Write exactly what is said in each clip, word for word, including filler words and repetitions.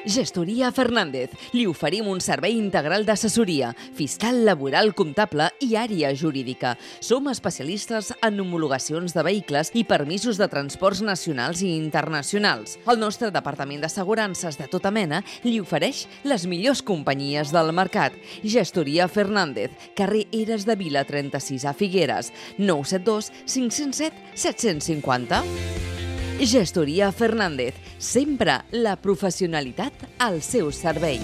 Gestoria Fernández. Li oferim un servei integral d'assessoria, fiscal, laboral, comptable i àrea jurídica. Som especialistes en homologacions de vehicles i permisos de transports nacionals i internacionals. El nostre departament d'assegurances de tota mena li ofereix les millors companyies del mercat. Gestoria Fernández, carrer Eres de Vila trenta-sis a Figueres, nou set dos cinc zero set set cinc zero. Gestoria Fernández, sempre la professionalitat al seu servei.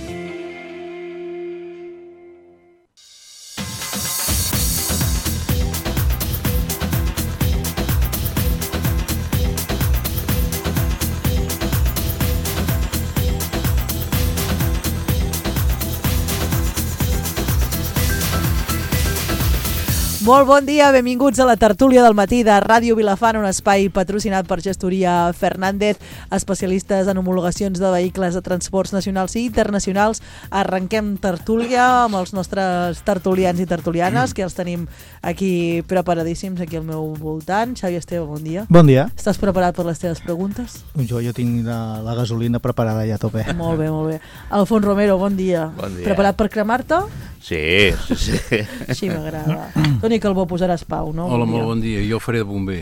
Molt bon dia, benvinguts a la tertúlia del matí de Ràdio Vilafant, un espai patrocinat per Gestoria Fernández, especialistes en homologacions de vehicles de transports nacionals i internacionals. Arrenquem tertúlia amb els nostres tertulians i tertulianes, que els tenim aquí preparadíssims, aquí al meu voltant. Xavi Esteve, bon dia. Bon dia. Estàs preparat per les teves preguntes? Jo, jo tinc la, la gasolina preparada ja a tope. Molt bé, molt bé. Alfons Romero, bon dia. Bon dia. Preparat per cremar-te? Sí, sí, sí. Així m'agrada. Toni Calbó, posaràs pau, no? Hola, molt bon dia. Jo faré de bomber.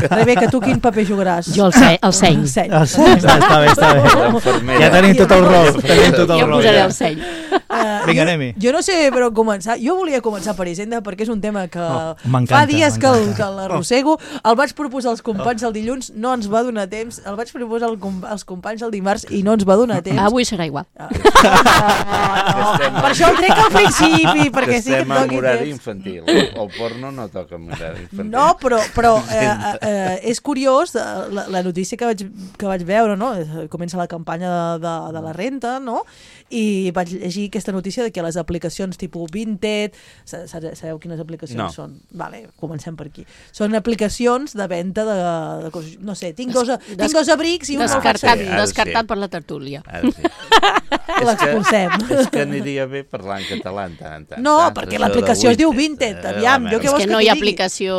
Rebeca, tu quin paper jugaràs? Jo el, se el seny. El seny. El seny. Està, està bé, està bé. Ja tenim tot el rol. Tenim tot el jo rol. posaré el seny. Uh, Vinga, jo, anem-hi. jo no sé per on començar. Jo volia començar per Hisenda perquè és un tema que Oh, fa m'encanta, dies que, el- m'encanta. que l'arrossego. El vaig proposar als companys el dilluns, no ens va donar temps. El vaig proposar al com- als companys el dimarts i no ens va donar temps. Avui serà igual. Ah, no, per això el trec al principi, perquè sí que estem et en doni horari temps. infantil. El porno no toca en horari infantil. No, però, però eh, eh, és curiós eh, la, la notícia que vaig, que vaig veure, no? Eh, Comença la campanya de, de, de la renta, no? I vaig llegir aquesta notícia de que les aplicacions tipus Vinted, sa- sa- sabeu quines aplicacions No. són? Vale, comencem per aquí. Són aplicacions de venda de, de coses, no sé, tinc dos, Des- tinc dos abrics i un me'l faig Descartat, servir. ara sí. descartat per la tertúlia. Ara sí. L'expulsem. És que, és que aniria bé parlar en català en tant. en tant. No, Saps? perquè Això l'aplicació de es diu Vinted. Vinted, Eh, aviam, la jo què És vols que que no t'hi hi ha digui? aplicació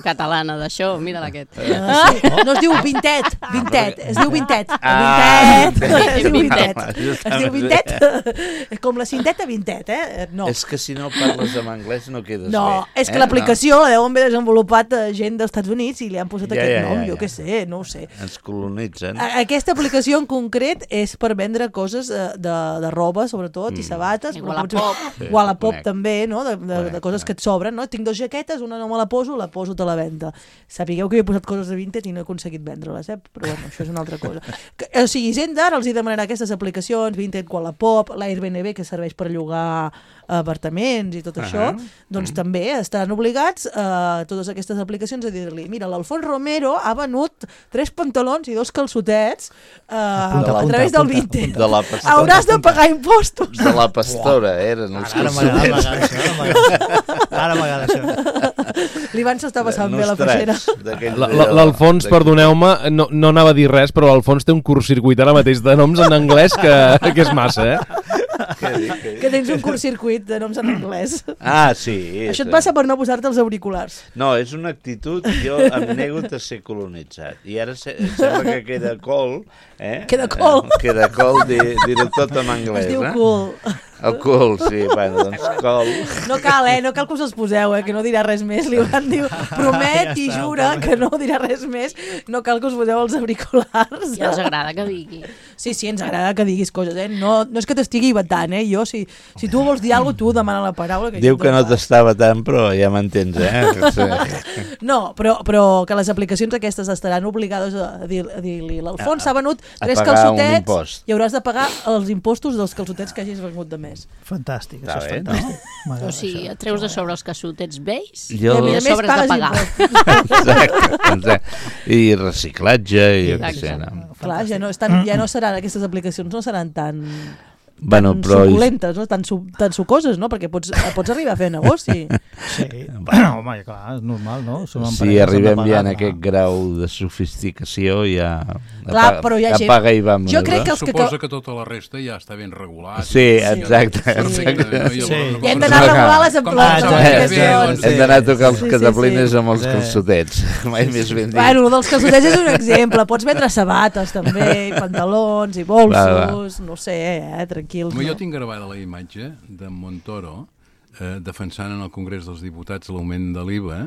catalana d'això, mira aquest. Ah, sí? No es diu Vintet, Vintet, es diu Vintet. Ah, Vintet, Vintet. es diu Vintet. Vintet. Es diu Vintet, com la cinteta Vintet, eh? No, És que si no parles en anglès no quedes no, bé. és que eh? l'aplicació la deuen haver desenvolupat eh, gent dels Estats Units i li han posat Ja, aquest ja, nom, ja, jo ja. què sé, no ho sé. No. Ens colonitzen. A- Aquesta aplicació en concret és per vendre coses eh, de, de roba, sobretot, i sabates. I però Wallapop. potser- Sí, Wallapop conec. també, no? De, de, de Conec, coses que et sobren, no? Tinc dues jaquetes, una no me la poso, la poso a la venda. Sapigueu que he posat coses de Vinted i no he aconseguit vendre-les, eh? Però bueno, això és una altra cosa. Que, o sigui, Hisenda ara els hi demanarà aquestes aplicacions, Vinted, Wallapop, l'Airbnb, que serveix per llogar apartaments i tot Ahà. això, doncs també estaran obligats a totes aquestes aplicacions a dir-li, mira, l'Alfons Romero ha venut tres pantalons i dos calçotets eh, Apunta, a apunta, través del apunta, Vinted. De la pastora. Hauràs de pagar impostos. De la pastora, eren els Ara m'agrada, ara calçotets. m'agrada això. Ara m'agrada això. L'Ivan s'està passant bé la peixera. La- la- L'Alfons, perdoneu-me, no, no anava a dir res, però l'Alfons té un curtcircuit ara mateix de noms en anglès que, que és massa, eh? Què dic, què dic? Que tens un curtcircuit de noms en anglès. Ah, sí. Això et és- passa per no posar-te els auriculars. No, és una actitud, jo em nego a ser colonitzat. I ara se, sembla que queda col, eh? Queda col. Eh, Queda col dir- dir-ho tot en anglès, Es diu eh? cool. El cul, sí, bueno, doncs col. No cal, eh? No cal que us els poseu, eh? Que no dirà res més. Li van dir, promet i Ja està, jura que no dirà res més. No cal que us poseu els auriculars. Ja ens agrada que digui. Sí, sí, ens agrada que diguis coses, eh? No, no és que t'estigui vetant, eh? Jo, si, si tu vols dir alguna cosa, tu demana la paraula. Que Diu jo que no et dono t'estava tant, però ja m'entens, eh? Sí. pas. No, però, però que les aplicacions aquestes estaran obligades a dir- a dir-li l'Alfons s'ha venut a tres pagar un calçotets impost. i hauràs de pagar els impostos dels calçotets que hagis venut de més. Fantàstic, Està això és bé, no? fantàstic. M'agrada O sigui, això. et treus de sobre els calçotets vells Jo- i I a a més sobre has de pagues pagar. impostos. Exacte, exacte. I reciclatge, i jo què sé, Exacte. no? Clar, ja no, estan, ja no seran, aquestes aplicacions no seran tan... bueno, tan però... suculentes, no? tan, su, tan sucoses, no? Perquè pots, pots arribar a fer negoci. Sí, bueno, home, clar, és normal, no? Som Si empreses, arribem hem de ja pagar, en clar. aquest grau de sofisticació, ja... Clar, però hi ha gent- Apaga i vamos. Jo crec que els que... Suposa que tota la resta ja està ben regulat. Sí, exacte. Sí. exacte. Sí. I hem d'anar a regular les Ah, amplificacions. Hem d'anar a tocar els Sí, sí, cataplines sí. amb els Sí. calçotets. Mai més ben dit. Bueno, dels calçotets és un exemple. Pots vendre sabates, també, i pantalons, i bolsos, Va, va. no sé, eh, tranquils. Home, jo No? tinc gravada la imatge de Montoro eh, defensant en el Congrés dels Diputats l'augment de l'I V A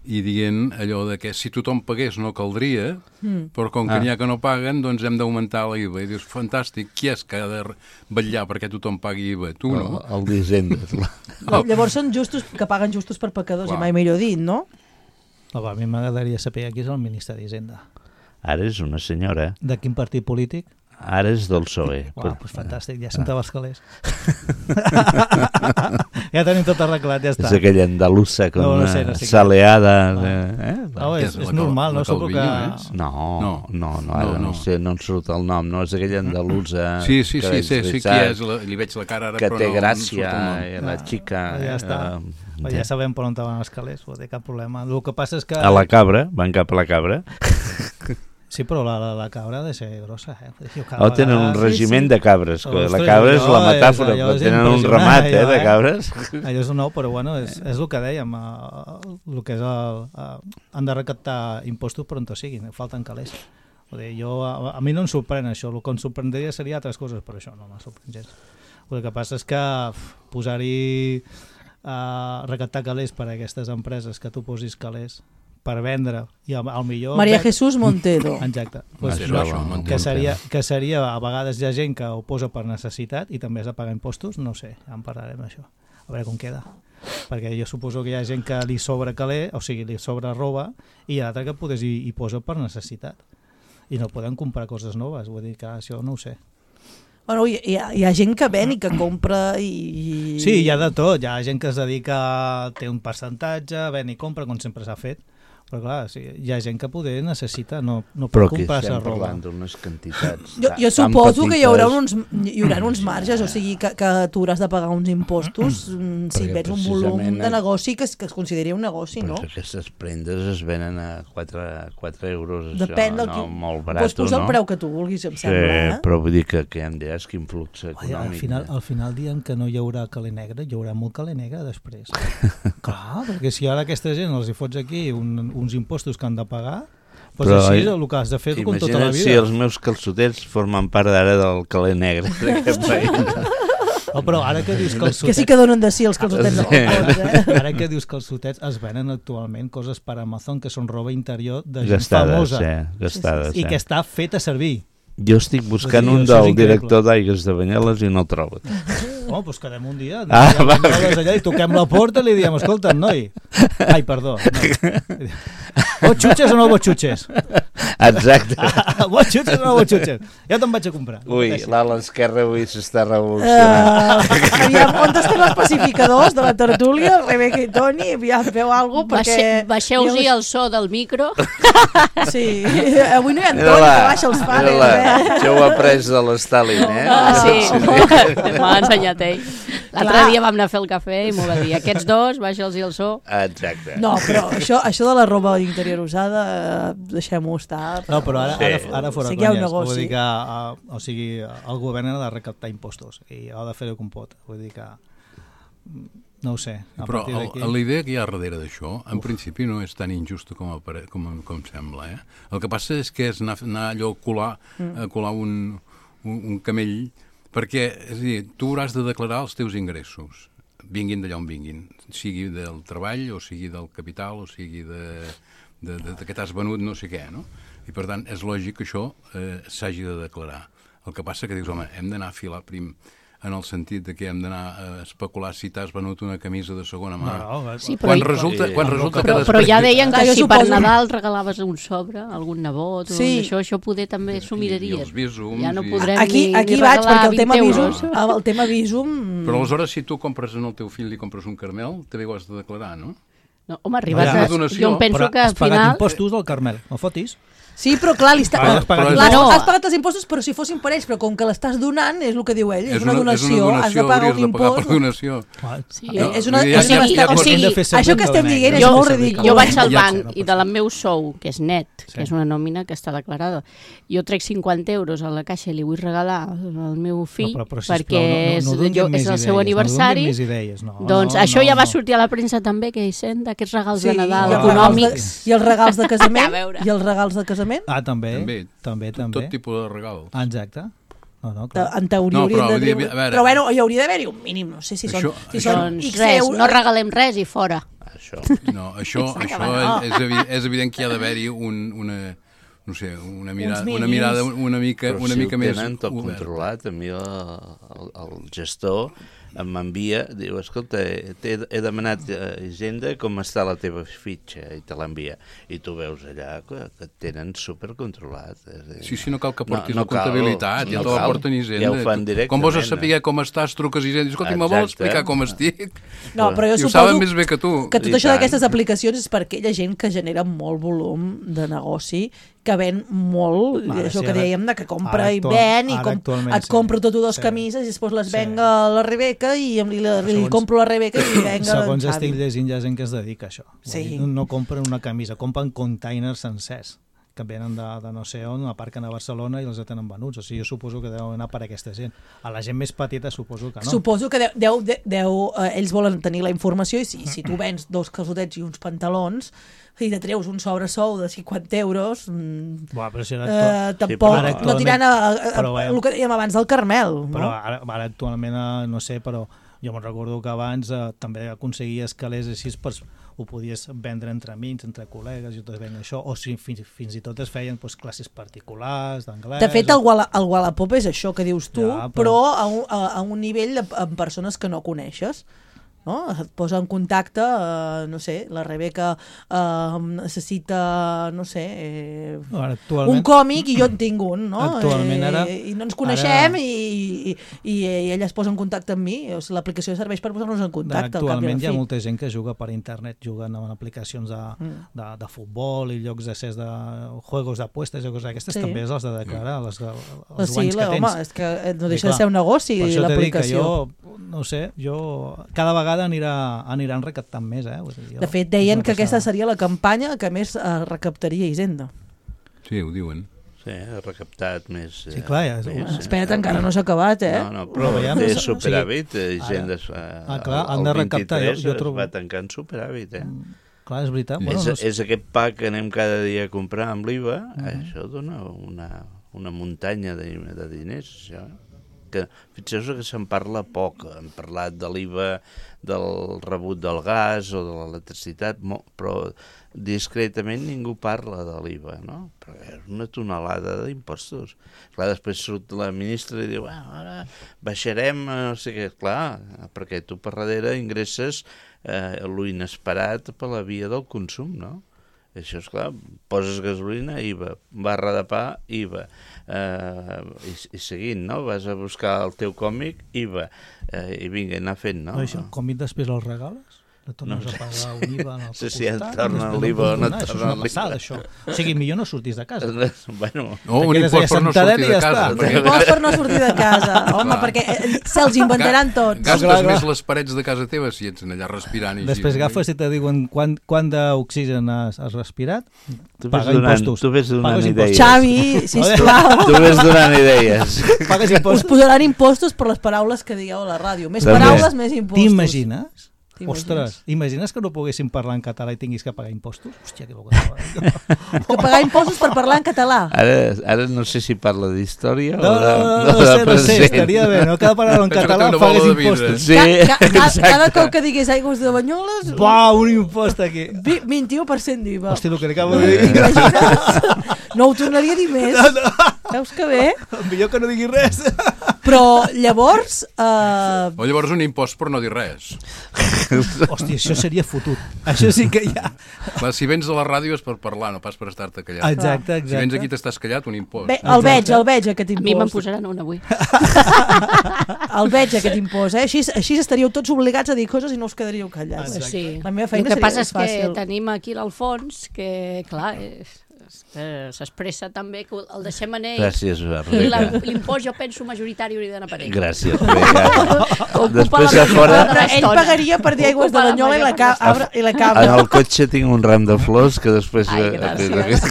i dient allò de que si tothom pagués no caldria, mm. però com que Ah. n'hi ha que no paguen, doncs hem d'augmentar l'I V A. I dius, fantàstic, qui és que ha de vetllar perquè tothom pagui I V A? Tu no? El, el d'Hisenda. No, llavors són justos, que paguen justos per pecadors, Clar. i mai millor dit, no? No, va, a mi m'agradaria saber qui és el ministre d'Hisenda. Ara és una senyora. De quin partit polític? Ara és del P S O E. Uau, doncs fantàstic, ja sentava els calés. Ja tenim tot arreglat, ja està. És aquella andalusa com No, no una sé, no sé què. saleada. De... Eh? Oh, Què és, és, és la normal, Cal- no? la Suposo que... Calviño, és? No, no, No. no, ara no, No, no. no. sé, no em surt el nom. No, és aquella andalusa Sí, sí, que sí, és sí, sí, qui veritat, és, la, li veig la cara ara, que però té no, no em gràcia, surt el nom. eh, la xica. Ja està. eh, Però ja sabem per on van els calés, no té cap problema. El que passa és que... A la cabra, van cap a la cabra. Sí, però la, la, la cabra ha de ser grossa, eh? Jo, cada O tenen un vegada- regiment sí, sí. de cabres. que La Ostres, cabra és la allò és- metàfora, allò però és tenen un impressionant, ramat eh, allò, de eh? cabres. Allò és nou, però bueno, és, és el que dèiem, eh, el que és el, eh, han de recaptar impostos per on to siguin, falten calés. Vull dir, jo, a, a mi no em sorprèn això, el que em sorprendria seria altres coses, però això no m'ha sorprèn gens. El que passa és que uf, posar-hi uh, recaptar calés per a aquestes empreses, que tu posis calés per vendre, i al, al millor... Maria ven- Jesús Montero. Exacte. Pues, Això, no, això, no que, entenc. seria, que seria, a vegades hi ha gent que ho posa per necessitat i també has de pagar impostos, no sé, ja en parlarem d'això, a veure com queda. Perquè jo suposo que hi ha gent que li sobra calé, o sigui, li sobra roba, i hi ha l'altre que potser hi, hi posa per necessitat. I no poden comprar coses noves, vull dir que això no ho sé. Bueno, hi, hi, ha, hi ha gent que ven i que compra i... i... Sí, hi ha de tot, hi ha gent que es dedica, té un percentatge, ven i compra, com sempre s'ha fet, però clar, sí, hi ha gent que poder necessita, no, no pot Però que comprar-se estem roba. parlant d'unes quantitats Jo, jo tan suposo que hi haurà, petites. uns, hi haurà uns marges, o sigui que, que tu hauràs de pagar uns impostos mm, si Perquè vens un volum precisament de a- negoci que es, que es consideri un negoci, Però no? que aquestes prendes es venen a quatre euros, això, Depèn del no? que... Molt barat, Pots posar no? el preu que tu vulguis, em Sí, sembla, eh? però vull dir que, que em diràs quin flux Ai, econòmic. al, final, eh? al final diem que no hi haurà calé negre, hi haurà molt calé negre després. Clar, perquè si ara aquesta gent els hi fots aquí un, uns impostos que han de pagar, doncs Però, així eh, és el que has de fer com tota la Imagina't vida. si els meus calçotets formen part d'ara del calé negre d'aquest país. Oh, però ara que dius Que calçotets, sí que donen de si els calçotets Sí. de balcons, eh? ara que dius calçotets, es venen actualment coses per Amazon que són roba interior de gent Gastades, famosa eh? Gastades, i que eh? està feta a servir. Jo estic buscant Vull dir, un això és del increïble. director d'Aigues de Banyeles i no el trobo. Oh, doncs quedem un dia, Ah, ah, va. allà i toquem la porta i li diem, escolta, noi, ai, perdó, noi. Vos xutxes o no vos xutxes? Exacte. Vos xutxes o no vos xutxes? Ja te'n vaig a comprar. Ui, l'ala esquerra avui s'està revolucionant. Uh, aviam, on estan els pacificadors de la tertúlia, Rebeca i Toni? Aviam, feu alguna cosa, perquè... Baixe, baixeu-hi el so del micro. Sí, avui no hi ha Toni, Mira-la, que baixa els pares, mira-la. eh? Això ho ha après de l'Stalin, eh? Ah, sí, m'ha ensenyat ell. L'altre Clar. dia vam anar a fer el cafè i m'ho va dir. Aquests dos, baixa'ls el so. Exacte. No, però això, això de la roba interior usada, eh, deixem-ho estar. No, però ara, ara, Sí. ara fora Sí que hi ha un conyes. negoci. Vull dir que, uh, o sigui, el govern ha de recaptar impostos i ha de fer-ho com pot. Vull dir que, mm, no ho sé. A Però partir el, d'aquí... la idea que hi ha darrere d'això, en principi no és tan injusta com, apare- com, com sembla. Eh? El que passa és que és anar, anar allò a colar, a colar un, un, un camell, perquè és a dir, tu hauràs de declarar els teus ingressos, vinguin d'allà on vinguin, sigui del treball, o sigui del capital, o sigui de, de, de, de que t'has venut no sé què, no? I per tant és lògic que això eh, s'hagi de declarar. El que passa que dius, home, hem d'anar a filar prim, en el sentit de que hem d'anar a especular si t'has venut una camisa de segona mà. No, no, Sí, però quan hi- resulta, quan resulta Però, que però ja deien que Clar, jo si per suposo- Nadal regalaves un sobre, algun nebot, o Sí. això, això poder també s'ho I- i miraries. els bísums Ja no i- podrem Aquí, ni, aquí ni vaig, regalar perquè el tema vint visum, euros. el tema visum... Però aleshores, si tu compres en el teu fill i compres un caramel, també ho has de declarar, no? No, home, arribat Ja, a... donació, Jo em penso però que al has pagat final... impostos del Carmel, no fotis? Sí, però clar, li està... Però has pagat Clar, impostos. no, No. has pagat els impostos, però si fossin per ells, però com que l'estàs donant, és el que diu ell, és, És una, una, és una donació, donació, has de pagar hauries un de pagar impost. per donació. Sí, Eh, és una, Ja- o sigui, ja- està- ja- o sigui, hem de fer això següent que estem de dient negre. és Jo- molt ridícul. Jo vaig al Ja banc sé, no i de la meu sou, que és net, que és una nòmina que està declarada, jo trec cinquanta euros a la caixa i li vull regalar al meu fill No, però, però, sisplau, perquè no, no, és, no donin jo, més és el seu idees, aniversari. No donin més idees, no, Doncs no, això no, ja va no. sortir a la premsa també, que Hisenda, aquests regals Sí, de Nadal i els regals de- econòmics. I els regals de casament? A veure. I els regals de casament? Ah, també, També. també, també. Tot tipus de regal. Ah, exacte. No, no, Te- clar. En teoria No, haurien però de vull dir, dir... a veure- Però bueno, hi hauria d'haver-hi un mínim, no sé si són, Això- si això- són Doncs X res, euros. no regalem res i fora. Això. No, això, Pensava això que no. és, és, evi- és evident que hi ha d'haver-hi un, una, no sé, una mirada, mínims. una mirada una mica, Però una si mica ho més tenen tot oberta. controlat, a mi el, el, el gestor m'envia, diu, escolta, he, he demanat a Hisenda com està la teva fitxa i te l'envia. I tu veus allà que, que et tenen supercontrolat. És a dir, Sí, sí, no cal que portis No, no la comptabilitat, cal, ja no te la cal. porten Hisenda. Ja ho fan Tu- Com vols directament, saber com estàs, truques a Hisenda i dius, escolta, me vols Exacte. explicar com estic? No, però jo I ho suposo saben més bé que tu. que tot I això tant. d'aquestes aplicacions és per aquella gent que genera molt volum de negoci, que ven molt, Vale, això sí, que ara- dèiem, de que compra ara i actual- ven, i ara com, actualment et sí. compro tot dues Sí. camises i després les Sí. venc a la Rebeca i li, li, li Segons- compro a la Rebeca i li venc a Segons l'en estic Xavi. llegint, hi ha gent que es dedica a això. Sí. Vull dir, No, no compren una camisa, compren containers sencers que venen de, de no sé on, aparquen a Barcelona i els tenen venuts. O sigui, jo suposo que deu anar per aquesta gent. A la gent més petita suposo que no. Suposo que deu, deu, deu, deu eh, ells volen tenir la informació i si, si tu vens dos calçotets i uns pantalons i te treus un sobresou de cinquanta euros, mm, Buah, però si ara eh, actu- tampoc però ara no actualment- tiran a, a, a, però veiem- el que dèiem abans del Carmel. Però No? ara, ara actualment, eh, no sé, però jo me'n recordo que abans eh, també aconseguies calés així, pues, ho podies vendre entre amics, entre col·legues, i tot venc això, o si fins, fins i tot es feien pues, classes particulars d'anglès. De fet, el, Walla, el Wallapop és això que dius tu, Ja, però, però- però a, un, a, a un nivell de, amb persones que no coneixes. No? Et posa en contacte, eh, no sé, la Rebeca eh, necessita, no sé, eh, Ara, actualment, un còmic i jo en tinc un, no? Actualment, ara- Eh, I no ens coneixem ara- i, i, i, i ella es posa en contacte amb mi. O sigui, l'aplicació serveix per posar-nos en contacte. al cap i Actualment al hi ha fi. molta gent que juga per internet, juguen en aplicacions de, Mm. de, de futbol i llocs d'accés de juegos d'apostes i coses d'aquestes, Sí. també has de declarar les, els Pues sí, guanys la, que home, tens. és que eh, no I deixa de clar, ser un negoci Per això t'he dit que l'aplicació. jo, no sé, jo cada vegada anirà, aniran recaptant més. Eh? Vull dir, jo, De fet, és deien una que aquesta passada. seria la campanya que més eh, recaptaria Hisenda. Sí, ho diuen. Sí, ha recaptat més... Sí, clar, ja és- més, Sí. Espera't, encara no s'ha acabat, eh? No, no, però Però veiem, té o sigui, superàvit, eh, Hisenda es fa... Ah, clar, han el de recaptar, jo- vint-i-tres jo es trobo- va tancar en superàvit, eh? Clar, és veritat. Bueno, és, no sé. és aquest pa que anem cada dia a comprar amb l'I V A, Mhm. això dona una, una muntanya de, de diners, això. Que, fixeu-vos que se'n parla poc, hem parlat de l'I V A, del rebut del gas o de l'electricitat, mo- però discretament ningú parla de l'I V A, no? Però és una tonelada d'impostos. Clar, després surt la ministra i diu, ah, ara baixarem, eh, no sé què, clar, perquè tu per darrere ingresses eh, lo inesperat per la via del consum, no? Això és clar, poses gasolina, I V A, barra de pa, I V A, eh, i, i seguint, no? Vas a buscar el teu còmic, I V A, eh, i vinga, anar fent, no? No, això, com i després els regales? Le tornes No a pagar un I V A en el Sí, sí, et costat, tornen després l'I V A o no et donar, això és tornen una l'I V A. passada, això. O sigui, millor no sortis de casa. Bueno, O un Te quedes impost allà per no sentadet sortir i de ja casa. està. perquè- Impost per no sortir de casa. Home, Clar. perquè eh, se'ls inventaran tots. Gastes Clar, clar. més les parets de casa teva si ets allà respirant. I Després així. agafes i te diuen quan, quant d'oxigen has, has respirat, tu ves paga donant, impostos. tu ves donant Pagues idees. Xavi, sisplau. Tu ves donant idees. pagues Us impostos. posaran impostos per les paraules que digueu a la ràdio. Més També. paraules, més impostos. T'imagines? T'imagines? Ostres, imagines que no poguéssim parlar en català i tinguis que pagar impostos? Hòstia, que bocada. Que pagar impostos per parlar en català. Ara, ara no sé si parla d'història No, o no, de, no, no, de no, sé, no sé, present. estaria bé, no cal parlar en Penso que català, té una bola pagues de vidre. impostos. Sí, Ca, ca, ca, cada exacte. cop que digués aigües de Banyoles, Buah, un impost aquí. vi- vint-i-u per cent d'I V A. Hòstia, el que li acabo de dir. T'imagines? No ho tornaria a dir més. Veus que bé? Millor que no digui res. Però llavors... Eh, O llavors un impost per no dir res. Hòstia, això seria fotut. Això sí que hi ha. Clar, si vens de la ràdio és per parlar, no pas per estar-te callat. Exacte, Si vens aquí exacte. t'estàs callat, un impost. bé, el veig, el veig, aquest A mi me'n impost. posaran un avui. el veig, aquest impost, eh? Així, així estaríeu tots obligats a dir coses i no us quedaríeu callats. Pues sí. La meva El feina que seria passa és fàcil. que tenim aquí l'Alfons, que, clar, és- eh, s'expressa també que el deixem en ell. Gràcies, I la- Rebeca. l'impost, jo penso, majoritari hauria d'anar per ell. Gràcies, Rebeca. Ocupa Després la a fora, majoria de Però ell l'estona. pagaria per dir aigües de Ocupa la Banyola i la, major part cabra, i la en cabra. el cotxe tinc un ram de flors que després... Ai, gràcies.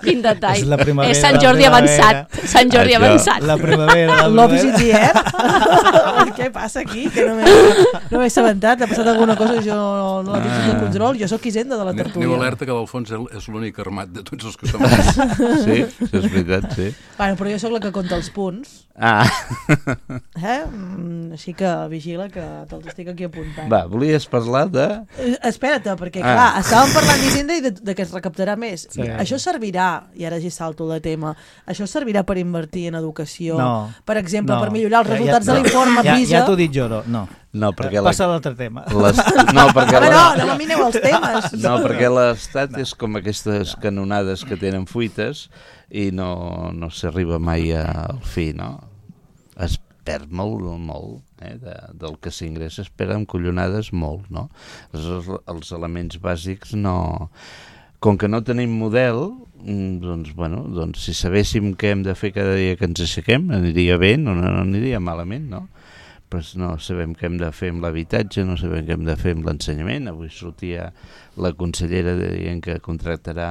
Quin detall. És la primavera, És Sant la Jordi primavera. avançat. Sant Jordi Això. avançat. La primavera, la Love is in primavera. the air. Què passa aquí? Que no m'he no m'he assabentat. Ha passat alguna cosa que jo no, no la tinc sota control. Jo sóc Hisenda de la Aneu tertúlia. alerta que l'Alfons és l'únic armat de tots els que som aquí. Sí, això és veritat, sí. Bueno, però jo sóc la que compta els punts. Ah, Eh? Mm, Així que vigila que te'ls estic aquí apuntant. va, volies parlar de... Eh, Espera't, perquè Ah. clar, estàvem parlant d'Hisenda i de, de que es recaptarà més. Sí. Això servirà, i ara ja salto de tema, això servirà per invertir en educació, No. per exemple, No. per millorar els Ja- ja- resultats no. de l'informe Ja, PISA. ja t'ho dic jo, no. no. No, perquè la... Passa a l'altre tema. les... No, perquè Home, la... no, no m'amineu els temes. No, perquè l'Estat és com aquestes canonades que tenen fuites i no, no s'arriba mai al fi, no? Es perd molt, molt, eh? de, del que s'ingressa es perd amb collonades molt, no? Els, els elements bàsics no... Com que no tenim model, mm, doncs, bueno, doncs si sabéssim què hem de fer cada dia que ens aixequem, aniria bé, no, no, no aniria malament, no? Però no sabem què hem de fer amb l'habitatge, no sabem què hem de fer amb l'ensenyament. Avui sortia la consellera dient que contractarà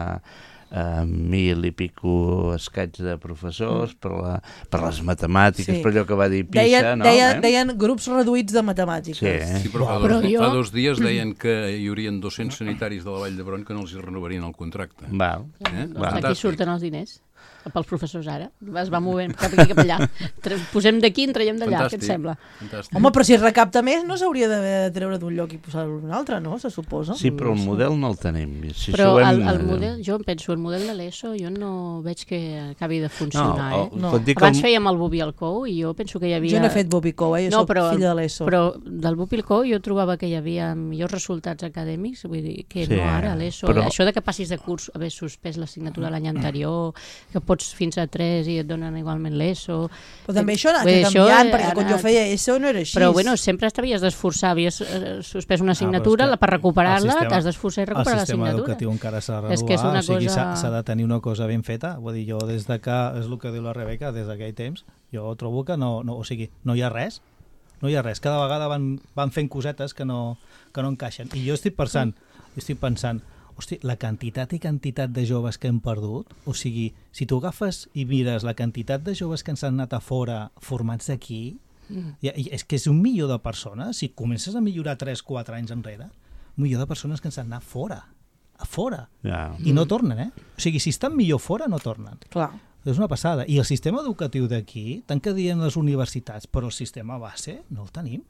eh, mil i pico escaig de professors per, la, per les matemàtiques, Sí. per allò que va dir PISA, Deien, no? deien, eh? deien grups reduïts de matemàtiques. Sí, eh? Sí, però fa, Però dos, jo- fa dos dies deien que hi haurien dos-cents sanitaris de la Vall d'Hebron que no els hi renovarien el contracte. Val. Eh? Doncs Va. aquí surten els diners pels professors ara. Es va movent cap aquí, cap allà. Tre- Posem d'aquí, en traiem d'allà, què et sembla? Fantàstic. Home, però si es recapta més no s'hauria d'haver de treure d'un lloc i posar-lo en un altre, no? Se suposa. Sí, però el model no el tenim. Si Però això ho el, hem- el model, jo em penso, el model de l'ESO jo no veig que acabi de funcionar, No, eh? No. pot dir que Abans el- fèiem el Bubi al Cou i jo penso que hi havia... Jo no he fet Bobicó, eh? Jo No, soc però, filla de l'ESO. però del Bubi al Cou jo trobava que hi havia millors resultats acadèmics, vull dir, que Sí, no ara a l'ESO. però- Això de que passis de curs, haver suspès l'assignatura l'any anterior, que pots fins a tres i et donen igualment l'ESO... Però també això ha Vull dir, anat això canviant, ha perquè quan jo anat- feia ESO no era així. Però bueno, sempre t'havies d'esforçar, havies eh, suspès una Ah, però assignatura, és que la per el recuperar-la sistema- t'has d'esforçar i recuperar El sistema l'assignatura. educatiu encara s'ha de renovar, És que és una o sigui, cosa- s'ha s'ha de tenir una cosa ben feta. Vull dir, jo des de que, és el que diu la Rebeca, des d'aquell temps, jo trobo que no, no, o sigui, no hi ha res, no hi ha res. Cada vegada van, van fent cosetes que no, que no encaixen. I jo estic pensant, jo estic pensant, hosti, la quantitat i quantitat de joves que hem perdut, o sigui, si tu agafes i mires la quantitat de joves que ens han anat a fora formats aquí, Mm. i, i és que és un milió de persones, si comences a millorar tres quatre anys enrere, un milió de persones que ens han anat fora, a fora, Ja. i no tornen, eh? O sigui, si estan millor fora, no tornen. Clar. És una passada. I el sistema educatiu d'aquí, tant que diem les universitats, però el sistema base no el tenim.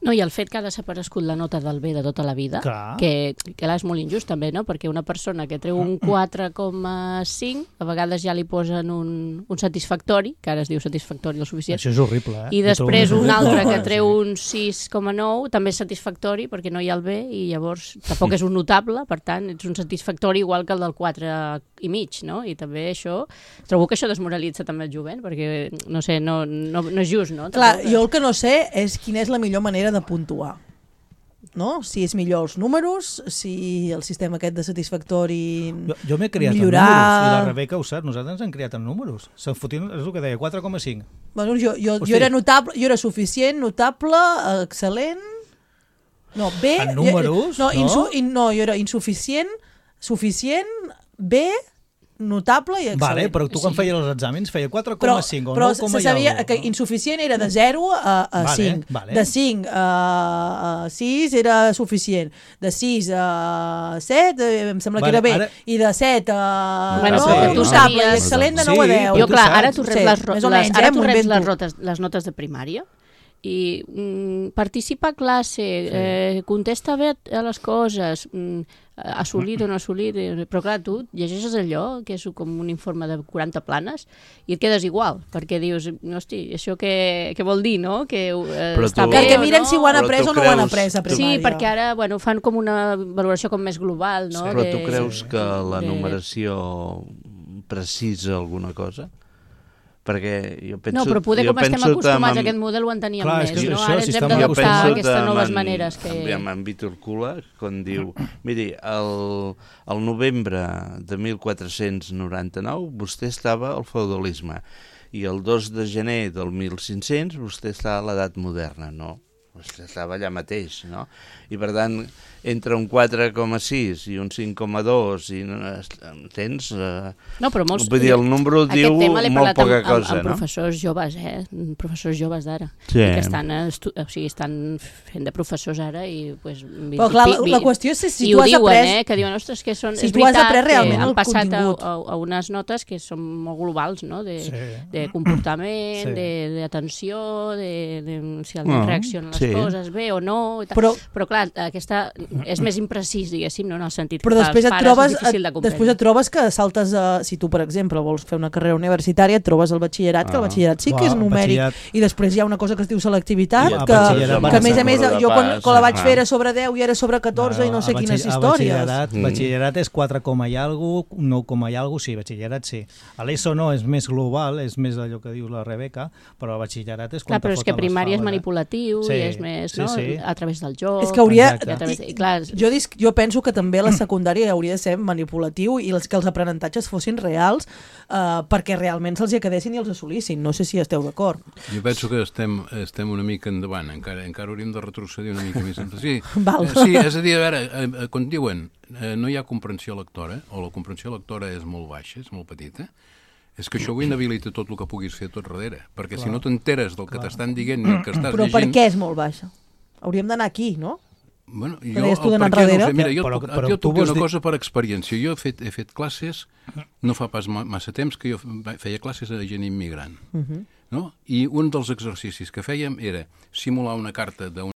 No, i el fet que ha desaparegut la nota del B de tota la vida, Clar. que, que clar, és molt injust també, no? Perquè una persona que treu un quatre coma cinc, a vegades ja li posen un, un satisfactori, que ara es diu satisfactori el suficient, Això és horrible, eh? i després Jo trobo- un altre que Sí. treu un sis coma nou, també és satisfactori perquè no hi ha el B i llavors tampoc és un notable, per tant ets un satisfactori igual que el del quatre i mig, no? I també això, trobo que això desmoralitza també el jovent perquè, no sé, no, no, no és just, no? Clar, Tampoc, jo el que no sé és quina és la millor manera de puntuar. No? Si és millor els números, si el sistema aquest de satisfactori... Jo, jo m'he criat millorar... en números, i la Rebeca ho sap, nosaltres ens hem criat en números. Se'n fotien, és el que deia, quatre coma cinc. Bueno, jo, jo, Hosti. jo era notable, jo era suficient, notable, excel·lent... No, B... En números, no? no? Insu, in, no, jo era insuficient, suficient, B, notable i excel·lent. Vale, però tu quan feies els exàmens feia quatre però, coma cinc o però nou coma se sabia i algo, que no? insuficient era de zero a, a Vale, cinc, vale. de cinc a, a sis era suficient, de sis a set eh, em sembla Vale, que era bé, ara- i de set a Bueno, no, però tu notable i sabies- excel·lent de Sí, nou a deu. però Jo, tu clar, saps. ara tu reps, Sí, les, ro- més o les, menys, ara eh, tu m'ho reps invento. les, rotes, les notes de primària i mm, participa a classe, eh, contesta bé a les coses, mm, assolit o no assolit, eh, però clar, tu llegeixes allò, que és com un informe de quaranta planes, i et quedes igual, perquè dius, hosti, això què, què vol dir, no? Que eh, Però està tu- bé Perquè o miren no? si ho han Però après tu o no ho han creus- après a Sí, primària. perquè ara bueno, fan com una valoració com més global, no? Però de- tu creus que la de- numeració precisa alguna cosa? perquè jo penso... No, però poder jo com estem penso acostumats amb... a aquest model ho enteníem Clar, més, és que no? això, Ara si ens hem estem d'adaptar a penso aquestes amb noves en- maneres que... Amb en Víctor Cula, quan diu... Miri, el, el novembre de mil quatre-cents noranta-nou vostè estava al feudalisme i el dos de gener del mil cinc-cents vostè està a l'edat moderna, no? Vostè estava allà mateix, no? I per tant, entre un quatre coma sis i un cinc coma dos, i entens? Uh, No, però molts... Vull dir, el número diu molt poca amb, cosa, amb, amb no? professors joves, eh? Professors joves d'ara. Sí. Que estan, estu... o sigui, estan fent de professors ara i... Pues, vi... Però clar, la, vi... la qüestió és si I tu ho has diuen, après... eh? Que diuen, ostres, que són... Si és tu has veritat après que realment han el passat a, contingut. a, a unes notes que són molt globals, no? De, Sí. de comportament, Sí. de d'atenció, de, de si el Ah, reaccionen les sí. coses bé o no... I tal. Però- però clar, aquesta és més imprecís, diguéssim, no? En el sentit Però que després pels et, pares trobes, és difícil de et, comprendre. després et trobes que saltes a... Si tu, per exemple, vols fer una carrera universitària, et trobes el batxillerat, que el Ah. batxillerat sí que Clar, és el numèric, batxillerat- i després hi ha una cosa que es diu selectivitat, I el que, batxillerat que a més a més, va ser jo quan, pas, quan la vaig ah. fer era sobre deu i era sobre catorze i no sé a quines batxiller- a històries. Batxillerat, Mm. batxillerat és quatre coma i algo, nou coma i algo, sí, batxillerat sí. A l'ESO no, és més global, és més allò que diu la Rebeca, però el batxillerat és quan Clar, però és que primària és manipulatiu Sí, i és més, sí, no? sí. A través del joc... És que hauria... Exacte. I a través, i, clar, Jo, dis, jo penso que també la secundària hauria de ser manipulatiu i els, que els aprenentatges fossin reals eh, perquè realment se'ls hi quedessin i els assolissin. No sé si esteu d'acord. Jo penso que estem, estem una mica endavant, encara, encara hauríem de retrocedir una mica més. Sí, Val. eh, sí, és a dir, a veure, eh, eh, quan diuen eh, no hi ha comprensió lectora, o la comprensió lectora és molt baixa, és molt petita, és que això ho inhabilita tot el que puguis fer tot darrere, perquè clar, si no t'enteres del que t'estan dient ni el que estàs Però llegint... per què és molt baixa? Hauríem d'anar aquí, no? Bueno, jo, deies tu el d'anar per què no ho enrere? sé. Mira, jo, Però- però, però jo tu et puc dir vols una dir- cosa per experiència. Jo he fet, he fet classes, no fa pas ma- massa temps que jo feia classes a gent immigrant. Uh -huh. No? I un dels exercicis que fèiem era simular una carta d'un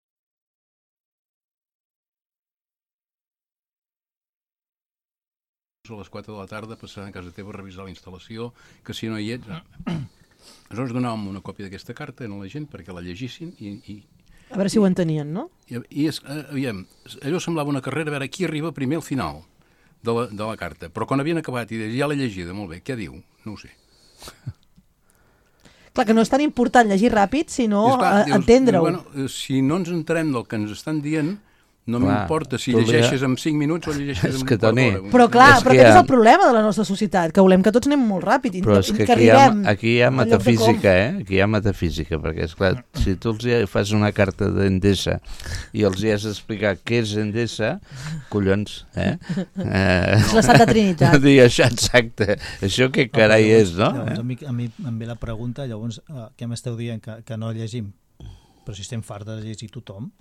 a les quatre de la tarda, passant a casa teva a revisar la instal·lació, que si no hi ets... Aleshores donàvem una còpia d'aquesta carta a la gent perquè la llegissin i, i, A veure si ho entenien, no? i, i es, eh, aviam, allò semblava una carrera, a veure qui arriba primer al final de la, de la carta. Però quan havien acabat i deies, ja l'he llegida, molt bé, què diu? No ho sé. Clar, que no és tan important llegir ràpid, sinó I esclar, eh, dius, entendre-ho. Bueno, eh, si no ens entenem del que ens estan dient, no Clar, m'importa si tu li- llegeixes en cinc minuts o llegeixes És en que, quart Toni, d'hora. Però clar, És però que aquest hi ha- és el problema de la nostra societat, que volem que tots anem molt ràpid i Però és que que aquí hi ha, arribem aquí hi ha al lloc de metafísica, com. eh? Aquí hi ha metafísica, perquè, esclar, si tu els hi fas una carta d'Endesa i els hi has d'explicar què és Endesa, collons, eh? eh És la Santa Trinitat. Dir això, exacte. Això què carai és, no? Llavors, a, mi, a mi em ve la pregunta, llavors, eh, què m'esteu dient? Que, que no llegim? Però si estem farts de llegir tothom,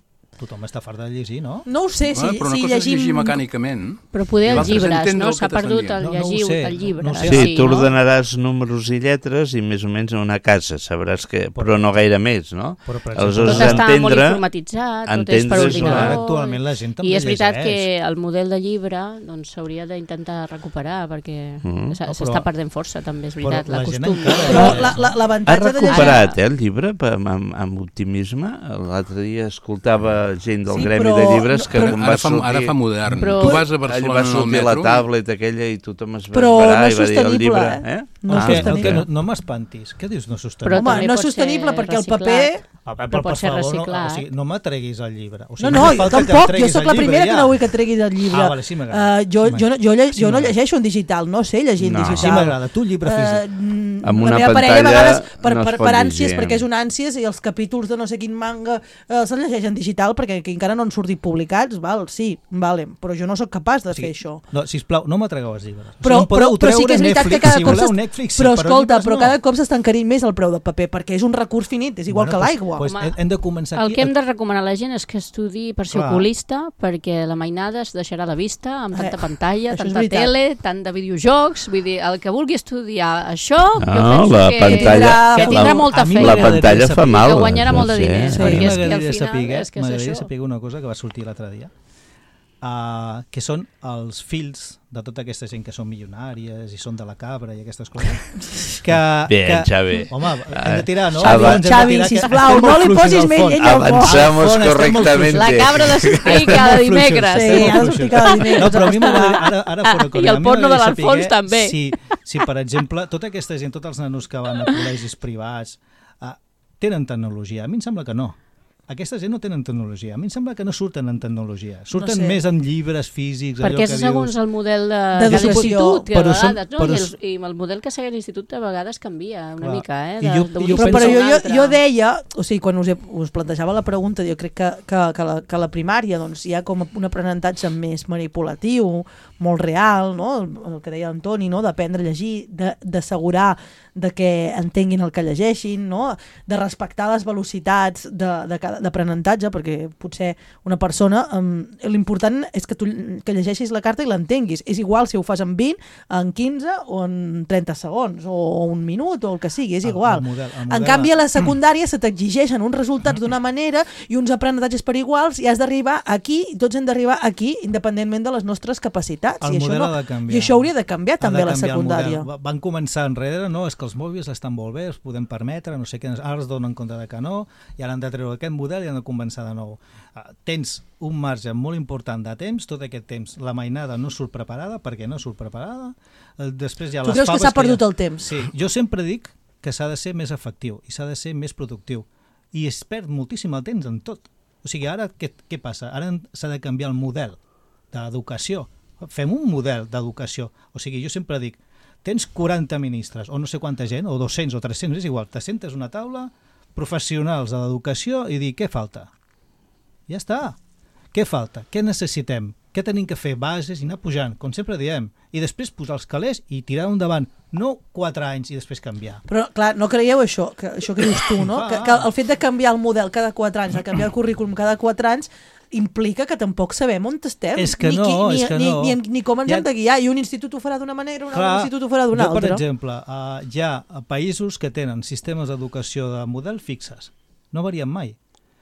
tothom està fart de llegir, no? No ho sé, si, Ah, però una si cosa és llegim... llegir mecànicament. però poder I els l'altre és llibres, entendre no? el que S'ha t'estan perdut dient. el No, no ho llegir sé, el llibre. no ho sé. Sí, sí, tu no? ordenaràs números i lletres i més o menys en una casa, sabràs que... Però no gaire més, no? Però, per Aleshores, Tot està molt entendre... informatitzat, tot és per entendre- ordinador. Ara actualment la gent també I és veritat llegeix. que el model de llibre doncs, s'hauria d'intentar recuperar perquè Mm. s'ha- No, s'està però- perdent força, també és però veritat, la la gent costum. encara- Però la- la- Ha l'avantatge de llegir... recuperat, eh, el llibre pa- amb, amb optimisme. L'altre dia escoltava gent del Sí, gremi però- de llibres que però- quan Ara va fa, sortir... ara fa modern. Però- Tu vas a Allà Barcelona va en el sortir la metro... tablet aquella i tothom es va Però esverar no i és va dir el sostenible, llibre... eh? Eh? No és Ah, sostenible. que no, no m'espantis. Què dius no Però sostenible? Home, també no és pot ser sostenible perquè el reciclat. paper... A veure, però pot ser favor, reciclat. No, o sigui, no m'atreguis al llibre. O sigui, No, no, fa jo falta que em tampoc, jo treguis sóc el la llibre primera ja. que no vull que treguis el llibre. Ah, vale, sí m'agrada. Uh, jo, Sí jo, no, jo, lle Sí jo no m'agrada. llegeixo en digital, no sé llegir en No. digital. Sí m'agrada, tu el llibre físic. Uh, Amb una la meva parella a pantalla vegades, per, no es per, pot per ànsies, llegir. perquè és un ànsies, i els capítols de no sé quin manga eh, se'ls llegeix en digital perquè que encara no han sortit publicats, val, sí, vale, però jo no sóc capaç de Sí. fer això. No, sisplau, no m'atregueu els llibres. Però, o sigui, em podeu però, però sí que és treure veritat que Netflix, cada si cop voleu s'est- Netflix, sí, però però escolta, llibres però no. cada cop s'està encarint més el preu de paper perquè és un recurs finit, és igual Bueno, que pues- l'aigua. Pues, Home, hem de començar El aquí. que hem de recomanar a la gent és que estudi per ser Clar. oculista, perquè la mainada es deixarà de vista amb tanta Eh, pantalla, això és tanta veritat. tele, tant de videojocs, vull dir, el que vulgui estudiar això, jo No, penso la que, pantalla- que tindrà la- molta a mi feina. La m'agradaria pantalla fa saber- mal. que guanyarà molt de no sé. diners, Sí, perquè és que al m'agradaria final saber, és que és m'agradaria això. saber una cosa que va sortir l'altre dia, uh, que són els fills de tota aquesta gent que són milionàries i són de la cabra i aquestes coses. Que, Bien, que, Xavi. Home, hem de tirar, no? Xavi, Ens hem de Xavi, tirar, que sisplau, estem no molt li fluixos posis al més fons. llenya al fons. Avanzamos Al fons estem molt correctamente. La cabra de Sofí Estem cada molt dimecres. fluixos, Sí, estem molt has fluixos. d'explicar cada dimecres No, però a mi aquesta- m'agradaria, ara, ara fora I el porno de l'Alfons també. Si, si, per exemple, tota aquesta gent, tots els nanos que van a col·legis privats, uh, tenen tecnologia? A mi em sembla que no. Aquesta gent no tenen tecnologia. A mi em sembla que no surten en tecnologia. Surten No sé. més en llibres físics, allò Perquè que és dius... segons el model de, de D'educació. l'institut, que a Però són- vegades, no? però I, s- el, I el model que segueix l'institut a vegades canvia una Clar. mica, eh? I De, jo- d'un jo Però, institut però a jo, un jo, altre. jo deia, o sigui, quan us, he, us plantejava la pregunta, jo crec que, que, que, la, que la primària doncs, hi ha com un aprenentatge més manipulatiu, molt real, no? el, el que deia Antoni, no? D'aprendre a llegir, de- d'assegurar de que entenguin el que llegeixin, no? De respectar les velocitats de- de cada- d'aprenentatge, perquè potser una persona, um, l'important és que tu que llegeixis la carta i l'entenguis. És igual si ho fas en vint, en quinze o en trenta segons, o un minut, o el que sigui, és El- igual. el model- el En model- canvi, a la secundària se t'exigeixen uns resultats d'una manera i uns aprenentatges per iguals i has d'arribar aquí, i tots hem d'arribar aquí, independentment de les nostres capacitats. El I això, model no, ha de canviar. I això hauria de canviar Ha també de a la canviar el secundària. model. Va- Van començar enrere, no, és que els mòbils estan molt bé, els podem permetre, no sé què, ara es donen compte de que no, i ara han de treure aquest model i han de començar de nou. Uh, tens un marge molt important de temps, tot aquest temps la mainada no surt preparada, perquè no surt preparada, uh, després hi ha Tu les creus que faves s'ha perdut ja... el temps? Sí, jo sempre dic que s'ha de ser més efectiu i s'ha de ser més productiu, i es perd moltíssim el temps en tot. O sigui, ara què, què passa? Ara s'ha de canviar el model d'educació. Fem un model d'educació. O sigui, jo sempre dic, tens quaranta ministres, o no sé quanta gent, o dos-cents o tres-cents, és igual, te sentes una taula, professionals de l'educació, i dir, què falta? Ja està. Què falta? Què necessitem? Què tenim que fer? Bases i anar pujant, com sempre diem. I després posar els calés i tirar endavant. No quatre anys i després canviar. Però, clar, no creieu això, que, això que dius tu, no? Ah. Que, que el fet de canviar el model cada quatre anys, de canviar el currículum cada quatre anys, implica que tampoc sabem on estem. És que ni, no, qui- ni, és que ni, no. Ni, ni, ni com ens Ja- hem de guiar. I un institut ho farà d'una manera, un Clar, altre institut ho farà d'una jo, per altra. exemple, uh, hi ha països que tenen sistemes d'educació de model fixes. No varien mai.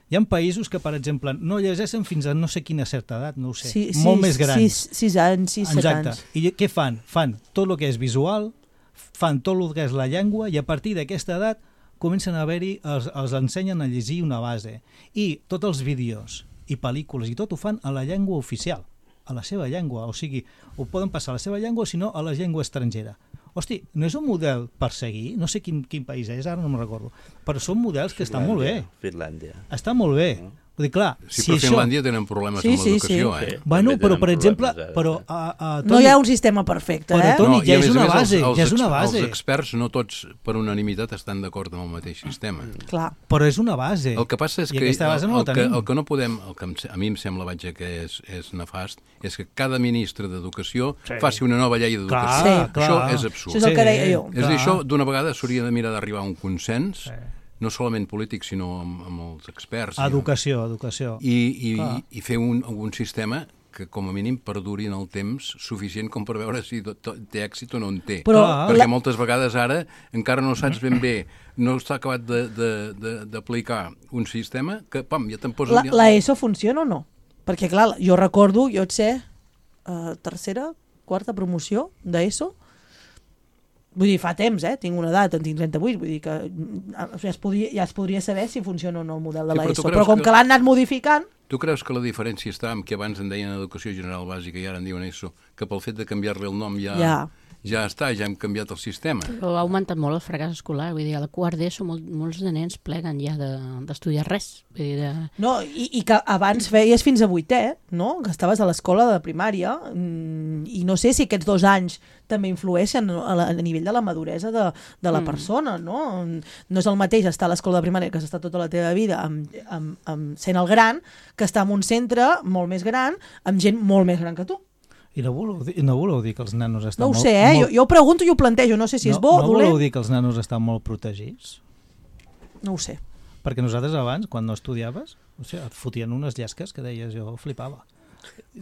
Hi ha països que, per exemple, no llegeixen fins a no sé quina certa edat, no ho sé, Sí, sí, molt més grans. Sis, sis anys, sis, set Exacte. anys. I què fan? Fan tot el que és visual, fan tot el que és la llengua, i a partir d'aquesta edat comencen a haver-hi, els, els ensenyen a llegir una base. I tots els vídeos i pel·lícules i tot ho fan a la llengua oficial, a la seva llengua. O sigui, ho poden passar a la seva llengua o, si no, a la llengua estrangera. Hosti, no és un model per seguir? No sé quin, quin país és, ara no me'n recordo. Però són models que estan molt bé. Finlàndia. Està molt bé. Vull dir, clar, Sí, si però això... Finlàndia tenen problemes Sí, amb sí, l'educació, sí. eh? Bueno, També però, tenen per exemple, problemes, ara. però... A, a, No hi ha un sistema perfecte, Però eh? tot- Toni, i ja a és més a una més, base, els, els, ja és una ex- base. Els experts, no tots, per unanimitat, estan d'acord amb el mateix sistema. Clar. Però és una base. El que passa és I que, aquesta base el, no el, la que tenim. el que no podem, el que em se- a mi em sembla, vaja, que és, és nefast, és que cada ministre d'Educació Sí. faci una nova llei d'educació. Clar, Sí. clar. Això és absurd. Això és el que deia jo. És a dir, això d'una vegada s'hauria de mirar d'arribar a un consens, Sí. no solament polític, sinó amb, amb els experts. Educació, educació. I, i, Clar. i fer un, un sistema que com a mínim perduri en el temps suficient com per veure si to, to, té èxit o no en té. Però Clar. Perquè la, moltes vegades ara encara no saps ben bé, no està acabat de- de- de- d'aplicar un sistema que, pam, ja te'n posa... la, la ESO funciona o no? Perquè, clar, jo recordo, jo et sé, uh, tercera, quarta promoció d'ESO, vull dir, fa temps, eh? Tinc una edat, en tinc trenta-vuit, vull dir que mm, ja es, podria, ja es podria saber si funciona o no el model de Sí, però tu l'ESO, creus però com que- que l'han anat modificant, Tu creus que la diferència està en que abans en deien Educació General Bàsica i ara en diuen ESO, que pel fet de canviar-li el nom ja, Ja. ja està, ja hem canviat el sistema? Però ha augmentat molt el fracàs escolar. Vull dir, a la quart d'ESO molt, molts de nens pleguen ja d'estudiar de, res. Vull dir, de... no, i, i que abans feies fins a vuitè, no? Que estaves a l'escola de primària, mm, i no sé si aquests dos anys també influeixen a, la, a nivell de la maduresa de, de la Mm. persona, no? No és el mateix estar a l'escola de primària que has estat tota la teva vida amb, amb, amb sent el gran, que estar en un centre molt més gran, amb gent molt més gran que tu. I no voleu, dir, no voleu dir que els nanos estan No ho molt... sé, eh? molt... Jo, jo ho pregunto i ho plantejo, no sé si no, és bo o no dolent. voleu dir que els nanos estan molt protegits? No ho sé. Perquè nosaltres abans, quan no estudiaves, o sigui, et fotien unes llesques que deies, jo flipava.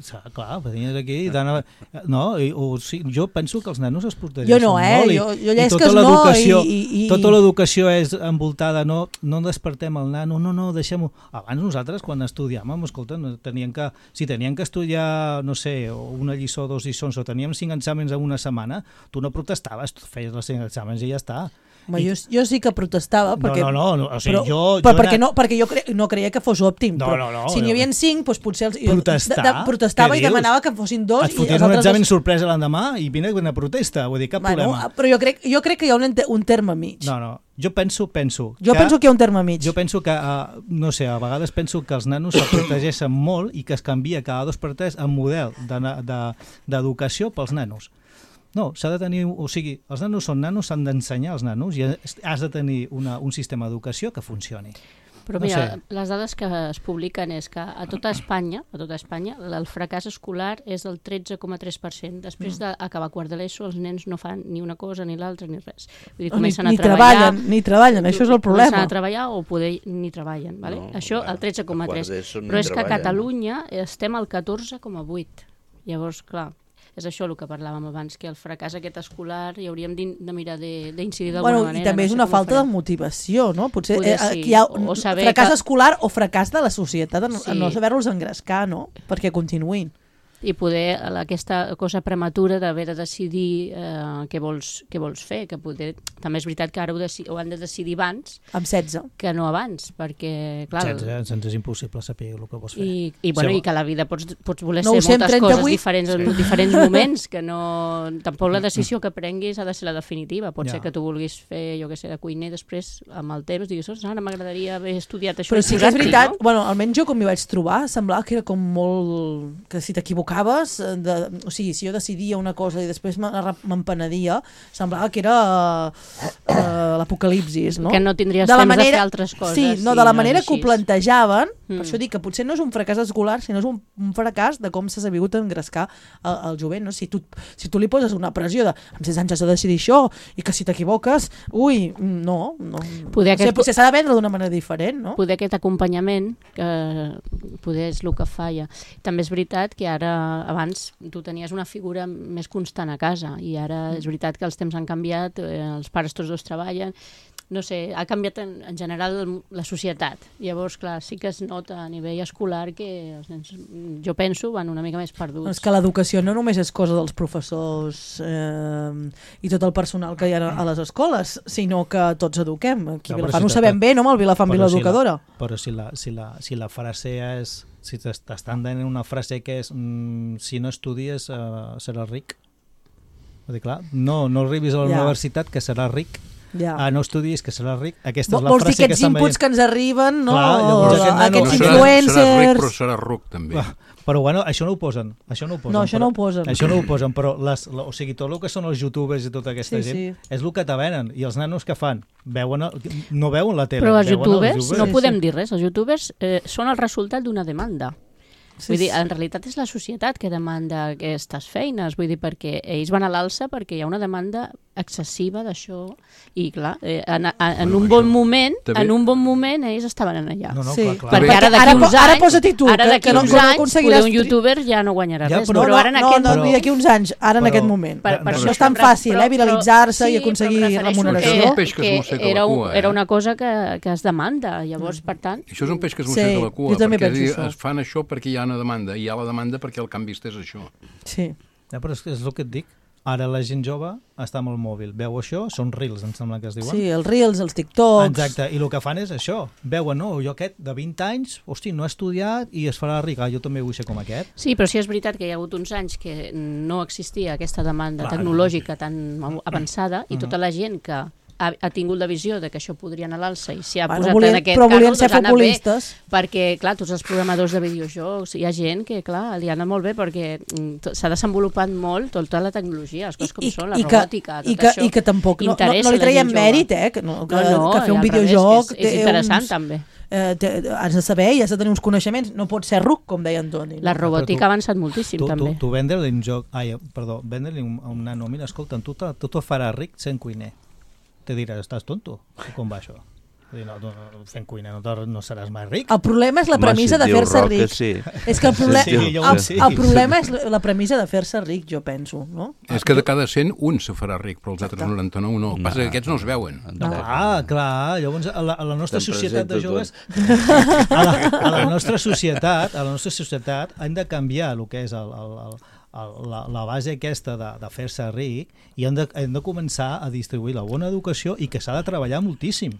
Sa- Clar, venies aquí i t'anava... No, i, o, sí, jo penso que els nanos es protegeixen Jo no, eh? molt. i- Jo- jo i llesques tota no, l'educació- i- i- i- Tota l'educació és envoltada, no, no despertem el nano, no, no, deixem-ho. Abans nosaltres, quan estudiàvem, escolta, no, tenien que, si tenien que estudiar, no sé, una lliçó o dos lliçons, o teníem cinc exàmens en una setmana, tu no protestaves, tu feies els cinc exàmens i ja està. I... Jo, jo sí que protestava, perquè... No, no, no, o sigui, però, jo... però jo perquè, anat... no, perquè jo cre... no creia que fos òptim. No, però no, no. si n'hi havia cinc, doncs potser... Els... Protestar? De, de, protestava Què i dius? demanava que fossin dos. Et fotés un examen dos... sorpresa l'endemà i vine una protesta, vull dir, cap bueno, problema. Però jo crec, jo crec que hi ha un, un terme mig. No, no, jo penso, penso... Jo que, penso que hi ha un terme mig. Jo penso que, uh, no sé, a vegades penso que els nanos se protegeixen molt i que es canvia cada dos per tres el model d'educació de, de, pels nanos. No, s'ha de tenir, o sigui, els nanos són nanos, s'han d'ensenyar als nanos i has de tenir una, un sistema d'educació que funcioni. Però no mira, sé. les dades que es publiquen és que a tota Espanya, a tota Espanya, el fracàs escolar és del tretze coma tres per cent. Després d'acabar quart de l'ESO, els nens no fan ni una cosa, ni l'altra, ni res. Vull dir, comencen ni, ni a treballar... Treballen, ni treballen, això és el problema. Comencen a treballar o poder ni treballen, vale? No, això clar, el tretze coma tres. no Però és que a treballen. Catalunya estem al catorze coma vuit. Llavors, clar, és això el que parlàvem abans, que el fracàs aquest escolar hi hauríem de mirar d'incidir d'alguna bueno, manera. I també no és sé una com falta ho de farem. motivació, no? Potser Poder eh, sí, aquí hi ha o un saber fracàs que- escolar o fracàs de la societat en, Sí. en no saber-los engrescar, no? Perquè continuïn. I poder aquesta cosa prematura d'haver de decidir eh, què, vols, què vols fer, que poder... també és veritat que ara ho, deci... ho han de decidir abans Amb setze. que no abans, perquè clar... setze, ens és impossible saber el que vols fer. I, i, bueno, Sí. i que a la vida pots, pots voler No ser ho sé, amb moltes trenta-vuit. coses diferents en diferents moments, que no... Tampoc la decisió que prenguis ha de ser la definitiva. Pot Ja. ser que tu vulguis fer, jo què sé, de cuiner, després, amb el temps, diguis, "Ostres, ara m'agradaria haver estudiat això. Però i sí que és posar-t'hi", veritat, no? bueno, almenys jo com m'hi vaig trobar, semblava que era com molt... que si t'equivocaves, eh, de... o sigui, si jo decidia una cosa i després me- m'empenedia, semblava que era uh, l'apocalipsis, no? Que no tindries De la temps de manera- fer altres coses. Sí, no, si de la és manera així. que ho plantejaven, Mm. per això dic que potser no és un fracàs escolar, sinó és un, un fracàs de com s'ha sabut engrescar el, el jovent, no? Si tu, si tu li poses una pressió de amb setze anys has de decidir això, i que si t'equivoques, ui, no, no. Poder O sigui, aquest- potser s'ha de vendre d'una manera diferent, no? Poder aquest acompanyament, que poder és el que falla. També és veritat que ara, abans, tu tenies una figura més constant a casa, i ara és veritat que els temps han canviat, eh, els pares tots dos treballen, no sé, ha canviat en, en general la societat. Llavors, clar, sí que es nota a nivell escolar que els nens, jo penso, van una mica més perduts. És que l'educació no només és cosa dels professors eh, i tot el personal que hi ha a les escoles, sinó que tots eduquem. Aquí a No, però Vilafant si ho sabem t'ha- bé, no? Amb el Vilafant Però si Vilaeducadora. la- Però si la, si la, si la frase és... Si t'estan dient una frase que és mm, si no estudies uh, seràs ric. Vull dir, clar, no, no arribis a la Ja. universitat que seràs ric. Ja. Ah, no estudis que seràs ric. Aquesta Vol- és la Vols dir frase que aquests estan inputs veient. que ens arriben, no? Clar, llavors O aquest nano- aquests No serà, serà influencers... ric, però serà ruc, també. Ah, Però bueno, això no ho posen. Això no ho posen No, això però, no ho posen. Això no ho posen, però les, la, o sigui, tot el que són els youtubers i tota aquesta Sí, gent sí. és el que te venen. I els nanos que fan? Veuen el, no veuen la tele. Però els veuen youtubers, no Sí, podem sí. dir res, els youtubers eh, són el resultat d'una demanda. Sí, Vull dir, sí. en realitat és la societat que demanda aquestes feines, vull dir, perquè ells van a l'alça perquè hi ha una demanda excessiva d'això i clar, eh, en, en, en un bon moment, també- en un bon moment ells estaven en allà. No, no, Sí. clar, clar. Perquè Perquè ara d'aquí ara uns po- ara anys, posa-t'hi tu, ara que- d'aquí que no- uns que no anys, aconseguiràs poder un tri- youtuber ja no guanyarà Ja, res, però- però, no, ara en no, aquest no, moment- no, d'aquí uns anys, ara en Però- aquest moment. Per, per No, això no és tan estem- fàcil, eh, viralitzar-se i sí, aconseguir però em refereixo remuneració. que- És un peix que es mossega la era, un- cua, eh? era una cosa que, que es demanda, llavors, per tant... Això és un peix que es Sí, mossega la cua, jo també perquè penso és a dir, això. es fan això perquè hi ha una demanda, i hi ha la demanda perquè el que han vist és això. Sí. Ja, però és, és el que et dic. Ara la gent jove està amb el mòbil. Veu això, són reels, em sembla que es diuen. Sí, els reels, els tiktoks... Exacte, i el que fan és això. Veuen, no, jo aquest de vint anys, hosti, no ha estudiat i es farà ric. Ah, jo també vull ser com aquest. Sí, però sí és veritat que hi ha hagut uns anys que no existia aquesta demanda Clar. tecnològica tan avançada i tota la gent que ha, ha tingut la visió de que això podria anar a l'alça i s'hi ha Bueno, posat volien- en aquest però volien carro, ser doncs ha anat bé, futbolistes. perquè, clar, tots els programadors de videojocs, hi ha gent que, clar, li ha anat molt bé perquè mm, to- s'ha desenvolupat molt tota la tecnologia, les coses com són, la i que, robòtica, tot i que, això. I que tampoc no, no, interessa no li la traiem gent jove. mèrit, eh? Que, no, que, No, no, que fer i un al revés, videojoc... és, és té interessant, uns, també. Eh, té, has de saber i has de tenir uns coneixements. No pots ser ruc, com deia Antoni. La No? robòtica tu- ha avançat moltíssim, Tu, tu, també. tu vendre-li un joc... Ai, perdó, vendre-li un, a un nano, mira, escolta, tu, te- tu te faràs ric sent cuiner. Te diràs, estàs tonto? Com va això? Vull dir, no, no, fent cuina no, te- no seràs mai ric. El problema és la Home, premissa si et de diu fer-se Roca, ric. sí. És que el, proble Sí, sí, jo ho el, sé. el problema és la, la premissa de fer-se ric, jo penso. No? És que de cada cent un se farà ric, però els altres noranta-nou no. El que passa és que aquests no es veuen. Ah, clar, llavors a la, a la nostra Te'n societat de presento joves a la, a la nostra societat a la nostra societat hem de canviar el que és el, el, el, la, la base aquesta de, de fer-se ric i hem de, hem de començar a distribuir la bona educació i que s'ha de treballar moltíssim.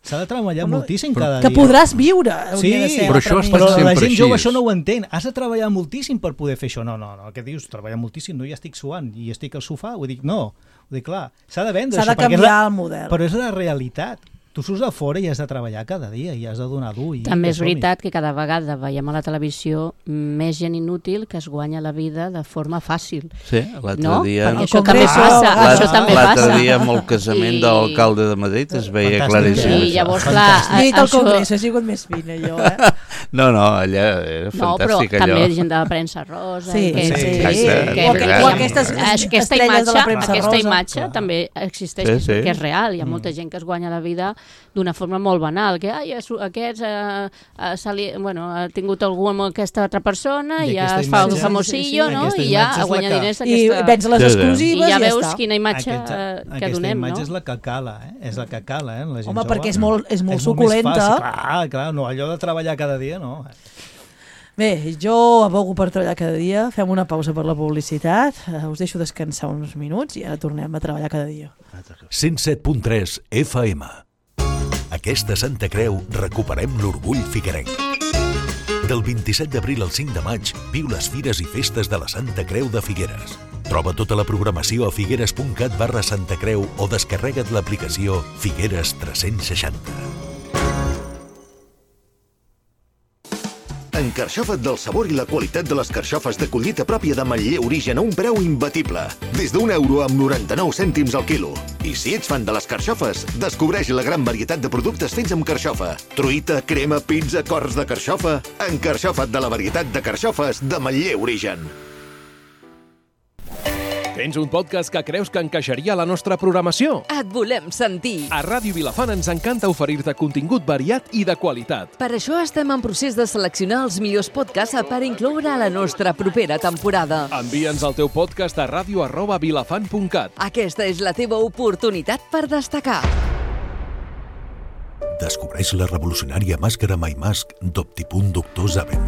S'ha de treballar Home, moltíssim cada que dia. Que podràs viure. Sí, de ser però això ha estat però sempre la gent així. jove això no ho entén. Has de treballar moltíssim per poder fer això. No, no, no. Què dius? Treballar moltíssim? No, ja estic suant i estic al sofà. Ho dic, no. Ho dic, clar, s'ha de vendre S'ha això. de canviar la, el model. Però és la realitat. Tu surts a fora i has de treballar cada dia i has de donar dur. I També és veritat que cada vegada veiem a la televisió més gent inútil que es guanya la vida de forma fàcil. Sí, l'altre no? dia... Perquè això també passa. Ah, això també passa. L'altre dia amb el casament I... de l'alcalde de Madrid es veia Fantàstic. claríssim. I això. llavors, clar, He dit al això... Congrés, he sigut més fina, jo, eh? No, no, allà era No, però fantàstic allò. també gent de la premsa rosa. Sí, que, sí, que, exacte. que, O, que, aqu- o aquestes aquesta estrelles imatge, de la premsa aquesta rosa. imatge Clar. també existeix, Sí, sí. que és real. Hi ha molta gent que es guanya la vida d'una forma molt banal, que ai, es- aquests eh, eh, se li, bueno, ha tingut algú amb aquesta altra persona i, I ja aquesta es fa un imatge- famosillo, sí, sí, no? aquesta I ja imatge és la guanya que- diners I aquesta... vens les Sí, sí. exclusives I ja i ja veus està. quina imatge Aquesta, eh, que aquesta donem, no? imatge és la que cala, eh? És la que cala, eh? La gent Home, jove. perquè és molt, és molt és suculenta. Molt més fàcil. Clar, clar, no, allò de treballar cada dia, no. Bé, jo abogo per treballar cada dia. Fem una pausa per la publicitat. Uh, us deixo descansar uns minuts i ara tornem a treballar cada dia. cent set punt tres F M. Aquesta Santa Creu recuperem l'orgull figuerenc. Del vint-i-set d'abril al cinc de maig, viu les fires i festes de la Santa Creu de Figueres. Troba tota la programació a figueres punt cat barra Santa Creu o descarrega't l'aplicació Figueres tres-cents seixanta. Encarxofa't del sabor i la qualitat de les carxofes de collita pròpia de Manlleu Origen a un preu imbatible. Des d'un euro amb noranta-nou cèntims al quilo. I si ets fan de les carxofes, descobreix la gran varietat de productes fets amb carxofa. Truita, crema, pizza, cors de carxofa... Encarxofa't de la varietat de carxofes de Manlleu Origen. Tens un podcast que creus que encaixaria a la nostra programació? Et volem sentir. A Ràdio Vilafant ens encanta oferir-te contingut variat i de qualitat. Per això estem en procés de seleccionar els millors podcasts per incloure a la nostra propera temporada. Envia'ns el teu podcast a ràdio arroba vilafant punt cat. Aquesta és la teva oportunitat per destacar. Descobreix la revolucionària màscara MyMask d'Optipunt Doctor Zaven.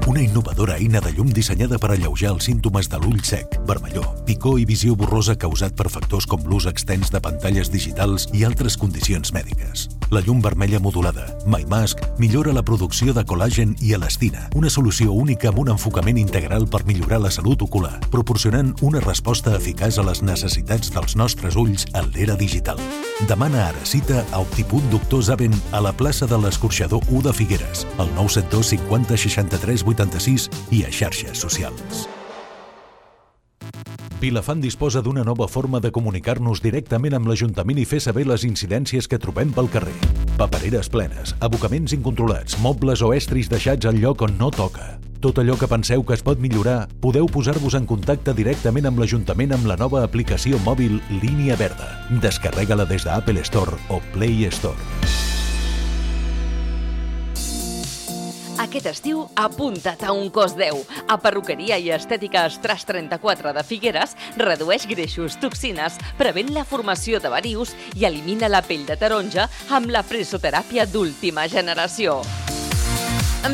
Una innovadora eina de llum dissenyada per alleujar els símptomes de l'ull sec, vermellor, picor i visió borrosa causat per factors com l'ús extens de pantalles digitals i altres condicions mèdiques. La llum vermella modulada, MyMask, millora la producció de col·làgen i elastina, una solució única amb un enfocament integral per millorar la salut ocular, proporcionant una resposta eficaç a les necessitats dels nostres ulls en l'era digital. Demana ara cita a Optipunt Doctor Zaven a la plaça de l'Escorxador u de Figueres, al nou set dos cinquanta seixanta-tres vuitanta-sis i a xarxes socials. Vilafant disposa d'una nova forma de comunicar-nos directament amb l'Ajuntament i fer saber les incidències que trobem pel carrer. Papereres plenes, abocaments incontrolats, mobles o estris deixats al lloc on no toca. Tot allò que penseu que es pot millorar, podeu posar-vos en contacte directament amb l'Ajuntament amb la nova aplicació mòbil Línia Verda. Descarrega-la des d'Apple Store o Play Store. Aquest estiu, apunta't a un cos deu. A Perruqueria i Estètica Estras trenta-quatre de Figueres redueix greixos, toxines, prevent la formació de varius i elimina la pell de taronja amb la presoteràpia d'última generació.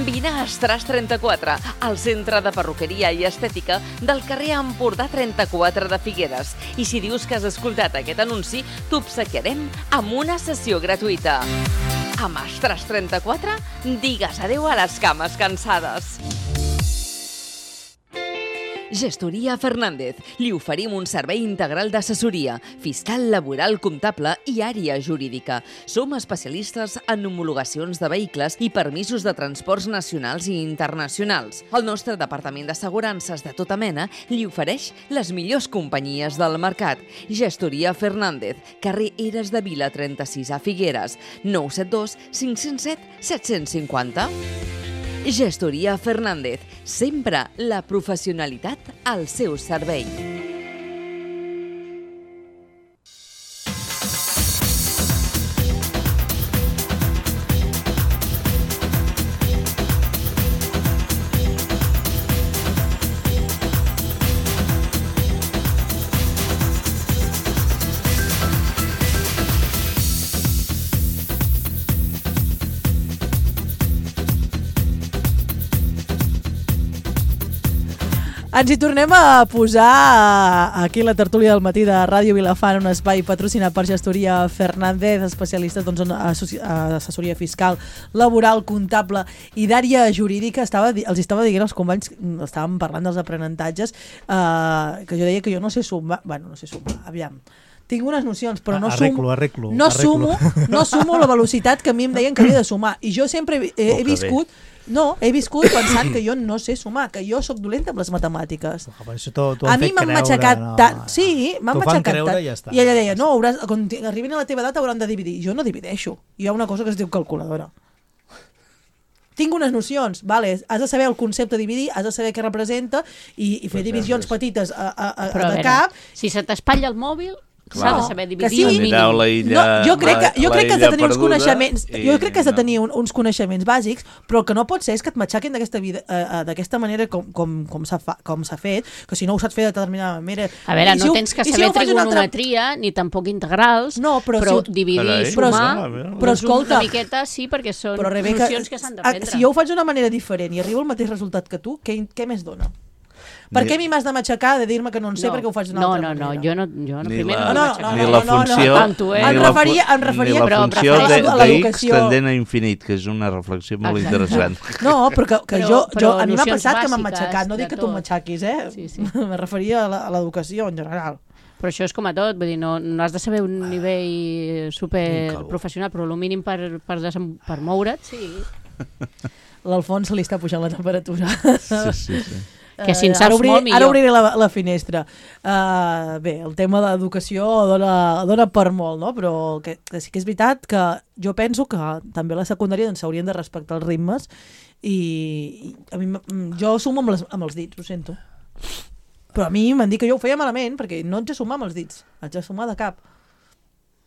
Vine a Estras trenta-quatre, al centre de perruqueria i estètica del carrer Empordà trenta-quatre de Figueres. I si dius que has escoltat aquest anunci, t'obsequiarem amb una sessió gratuïta. Amb Estras trenta-quatre, digues adeu a les cames cansades. Gestoria Fernández. Li oferim un servei integral d'assessoria, fiscal, laboral, comptable i àrea jurídica. Som especialistes en homologacions de vehicles i permisos de transports nacionals i internacionals. El nostre departament d'assegurances de tota mena li ofereix les millors companyies del mercat. Gestoria Fernández, carrer Eres de Vila trenta-sis a Figueres, nou set dos cinc zero set set cinc zero. Gestoria Fernández, sempre la professionalitat al seu servei. Ens hi tornem a posar aquí la tertúlia del matí de Ràdio Vilafant, un espai patrocinat per Gestoria Fernández, especialistes doncs, en assessoria fiscal, laboral, comptable i d'àrea jurídica. Estava, els estava dient als companys, estàvem parlant dels aprenentatges, eh, que jo deia que jo no sé sumar, bueno, no sé sumar, aviam, tinc unes nocions, però no arreglo, sumo, arreglo, no, arreglo. sumo no sumo la velocitat que a mi em deien que havia de sumar. I jo sempre he, he, he viscut no, he viscut pensant que jo no sé sumar, que jo sóc dolenta amb les matemàtiques. A mi m'han matxacat no, tant. No. Sí, m'han matxacat tant. Ja està. I ella deia, no, hauràs, quan arribin a la teva edat hauran de dividir. Jo no divideixo. Hi ha una cosa que es diu calculadora. Tinc unes nocions, vale, has de saber el concepte de dividir, has de saber què representa i, i fer divisions petites a, a, a, Però, de cap. Si se t'espatlla el mòbil, s'ha de saber dividir sí. el mínim. No, jo crec que, jo crec que has de tenir uns coneixements jo crec que has de tenir un, uns coneixements bàsics, però el que no pot ser és que et matxaquin d'aquesta vida uh, d'aquesta manera com, com, com s'ha com s'ha fet, que si no ho saps fer de determinada manera... A veure, no si tens que si saber si trigonometria altra... ni tampoc integrals, no, però, però si... dividir i però, sumar però, però escolta, una miqueta sí, perquè són però, Rebeca, nocions que s'han d'aprendre. Si jo ho faig d'una manera diferent i arribo al mateix resultat que tu, què, què més dona? Per què a mi m'has de matxacar de dir-me que no en sé no, perquè ho faig d'una no, altra no, manera? No, jo no, jo no, ni primer la, no, no, no, ni la funció, no, no. Em referia, em referia ni la funció però, de, a d'X tendent a infinit, que és una reflexió molt Exacte. interessant. No, però, que, que però, jo, però jo, a mi m'ha passat que m'han bàsiques matxacat, no dic que tu tot. matxaquis, eh? Sí, sí. Me referia a l'educació en general. Però això és com a tot, vull dir, no, no has de saber un nivell super professional, però el mínim per, per, desem, per moure't, sí. L'Alfons se li està pujant la temperatura. Sí, sí, sí. Que si en saps obrir, molt millor. Ara obriré la, la finestra. Uh, bé, el tema de l'educació dona, dona per molt, no? Però que, que sí que és veritat que jo penso que també a la secundària doncs, s'haurien de respectar els ritmes i, i a mi, jo sumo amb, les, amb els dits, ho sento. Però a mi m'han dit que jo ho feia malament perquè no haig de sumar amb els dits, haig de sumar de cap.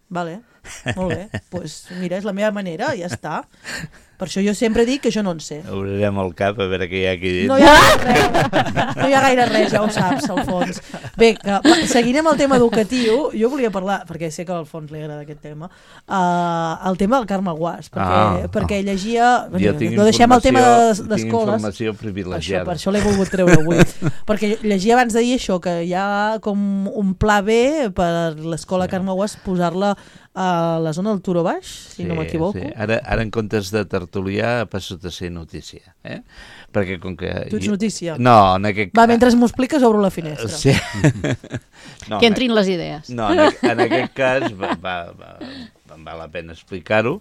Vale, molt bé. Doncs pues mira, és la meva manera, ja està. Per això jo sempre dic que jo no en sé. Obrirem el cap a veure què hi ha aquí dins. No hi ha gaire res, no hi ha gaire res, ja ho saps, al fons. Bé, que, seguint amb el tema educatiu, jo volia parlar, perquè sé que al fons li agrada aquest tema, uh, el tema del Carme Guàs, perquè, ah, perquè oh. llegia... Jo no deixem el tema d'escoles. Tinc informació privilegiada. Això, per això l'he volgut treure avui. Perquè llegia abans d'ahir això, que hi ha com un pla B per l'escola sí. Carme Guàs posar-la a la zona del Turó Baix, si sí, no m'equivoco. Sí. Ara, ara en comptes de tertulià passo a ser notícia. Eh? Perquè com que... Tu ets notícia? No, en aquest... Va, mentre m'ho expliques obro la finestra. Sí. No, que entrin les idees. No, en, en aquest cas va, va, va, val la pena explicar-ho,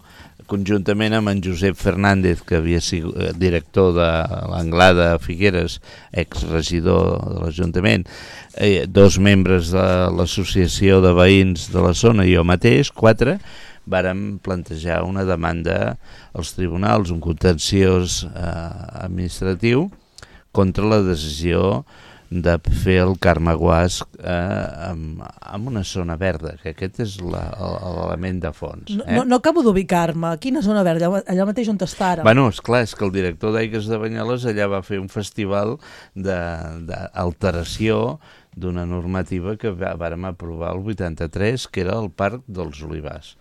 conjuntament amb en Josep Fernández, que havia sigut director de l'Anglada Figueres, exregidor de l'Ajuntament, eh, dos membres de l'associació de veïns de la zona i jo mateix, quatre, vàrem plantejar una demanda als tribunals, un contenciós eh, administratiu contra la decisió de fer el Carme Guàs eh, amb, amb una zona verda, que aquest és l'element de fons. Eh? No, no acabo d'ubicar-me. Quina zona verda? Allà mateix on està ara? Bueno, esclar, és que el director d'Aigues de Banyoles allà va fer un festival d'alteració d'una normativa que vàrem aprovar el vuitanta-tres, que era el Parc dels Olivars.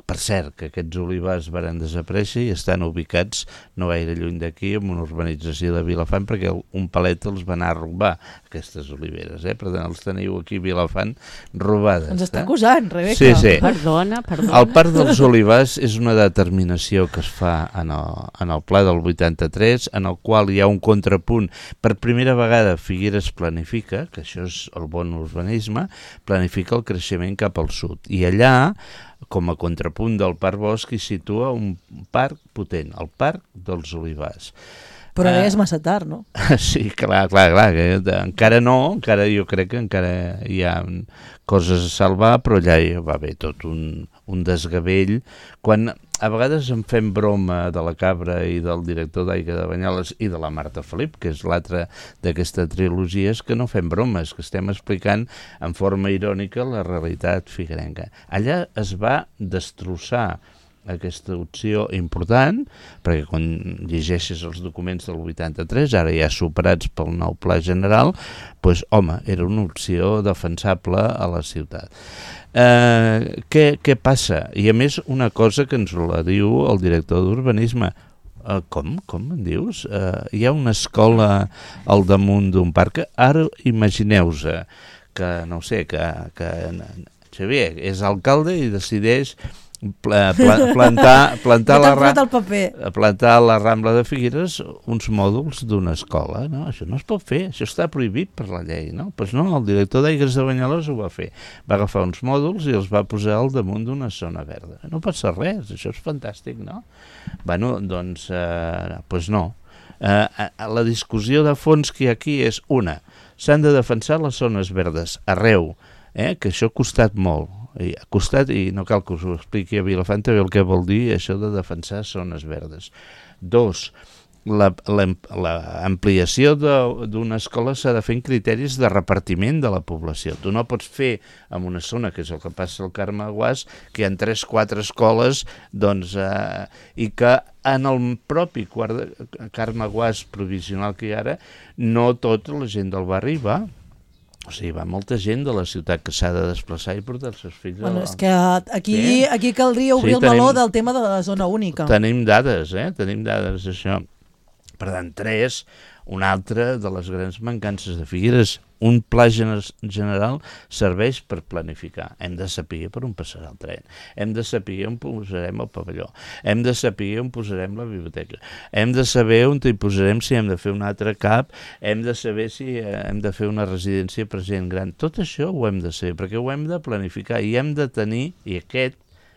Per cert, que aquests olivars varen desaparèixer i estan ubicats no gaire lluny d'aquí, en una urbanització de Vilafant, perquè un palet els va anar a robar, aquestes oliveres. Eh? Per tant, els teniu aquí a Vilafant robades. Ens està acusant, Rebeca. Sí, sí. Perdona, perdona. El Parc dels Olivars és una determinació que es fa en el, en el pla del vuitanta-tres, en el qual hi ha un contrapunt. Per primera vegada Figueres planifica, que això és el bon urbanisme, planifica el creixement cap al sud. I allà, com a contrapunt del Parc Bosc, hi situa un parc potent, el Parc dels Olivars. Però ara uh, és massa tard, no? Sí, clar, clar, clar. Que encara no, encara jo crec que encara hi ha coses a salvar, però allà hi va haver tot un, un desgavell. Quan a vegades en fem broma de la Cabra i del director d'Aigua de Banyoles i de la Marta Felip, que és l'altra d'aquesta trilogia, és que no fem bromes, que estem explicant en forma irònica la realitat figuerenca. Allà es va destrossar aquesta opció important, perquè quan llegeixes els documents del vuitanta-tres, ara ja superats pel nou pla general, doncs, home, era una opció defensable a la ciutat. Eh, què, què passa? I a més, una cosa que ens la diu el director d'urbanisme, Uh, com? Com en dius? Uh, hi ha una escola al damunt d'un parc. Ara imagineu-vos que, no sé, que, que Xavier és alcalde i decideix pla, pla, plantar, plantar, la, ra plantar a la Rambla de Figueres uns mòduls d'una escola. No? Això no es pot fer, això està prohibit per la llei. No? Pues no, el director d'Aigües de Banyoles ho va fer. Va agafar uns mòduls i els va posar al damunt d'una zona verda. No passa res, això és fantàstic, no? Bueno, doncs, eh, pues no. Eh, la discussió de fons que hi ha aquí és una, s'han de defensar les zones verdes arreu, eh, que això ha costat molt. I ha costat, i no cal que us ho expliqui a Vilafant també el que vol dir això de defensar zones verdes. Dos, l'ampliació d'una escola s'ha de fer en criteris de repartiment de la població. Tu no pots fer en una zona, que és el que passa al Carme Guàs, que hi ha tres o quatre escoles, doncs, eh, i que en el propi quart de, Carme Guàs provisional que hi ha ara, no tota la gent del barri va. O sigui, va molta gent de la ciutat que s'ha de desplaçar i portar els seus fills. Bueno, és que aquí, sí. aquí caldria obrir sí, el meló del tema de la zona única. Tenim dades, eh? Tenim dades d'això. Per tant, tres, una altra de les grans mancances de Figueres. Un pla general serveix per planificar. Hem de saber per on passarà el tren. Hem de saber on posarem el pavelló. Hem de saber on posarem la biblioteca. Hem de saber on hi posarem si hem de fer un altre cap. Hem de saber si hem de fer una residència per gent gran. Tot això ho hem de saber, perquè ho hem de planificar i hem de tenir, i aquest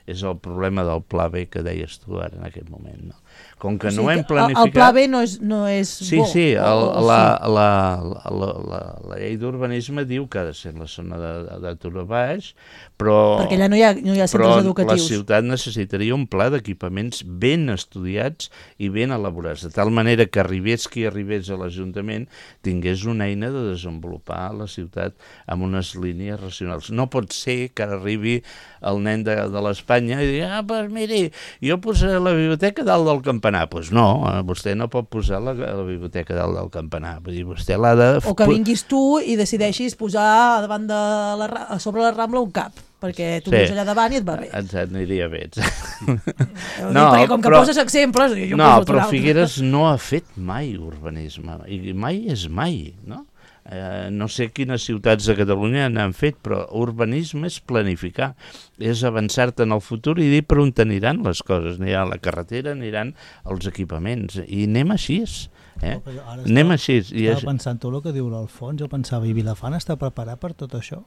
és el problema del pla B que deies tu ara en aquest moment, no? Com que o sigui, no hem planificat... El pla B no és, no és sí, bo. Sí, el, o, la, sí. La, la, la, la, la llei d'urbanisme diu que ha de ser en la zona de, de, de Turó Baix, però... Perquè allà no hi ha, no hi ha centres educatius. Però la ciutat necessitaria un pla d'equipaments ben estudiats i ben elaborats, de tal manera que arribés qui arribés a l'Ajuntament tingués una eina de desenvolupar la ciutat amb unes línies racionals. No pot ser que arribi el nen de, de l'Espanya i digui, ah, doncs miri, jo posaré la biblioteca dalt del campanar. Doncs pues no, vostè no pot posar la, la biblioteca dalt del campanar. Vull dir, vostè l'ha de... O que vinguis tu i decideixis posar davant de la, a sobre la Rambla un cap, perquè tu sí. Vius allà davant i et va bé. Exacte, aniria bé. No, perquè com que però, poses exemples... Jo no, però Figueres no ha fet mai urbanisme, i mai és mai, no? Eh, no sé quines ciutats de Catalunya n'han fet, però urbanisme és planificar, és avançar-te en el futur i dir per on t'aniran les coses. Anirà la carretera, aniran els equipaments, i anem així. Eh? No, anem així. I estava pensant tot el que diu l'Alfons, jo pensava, i Vilafant està preparat per tot això?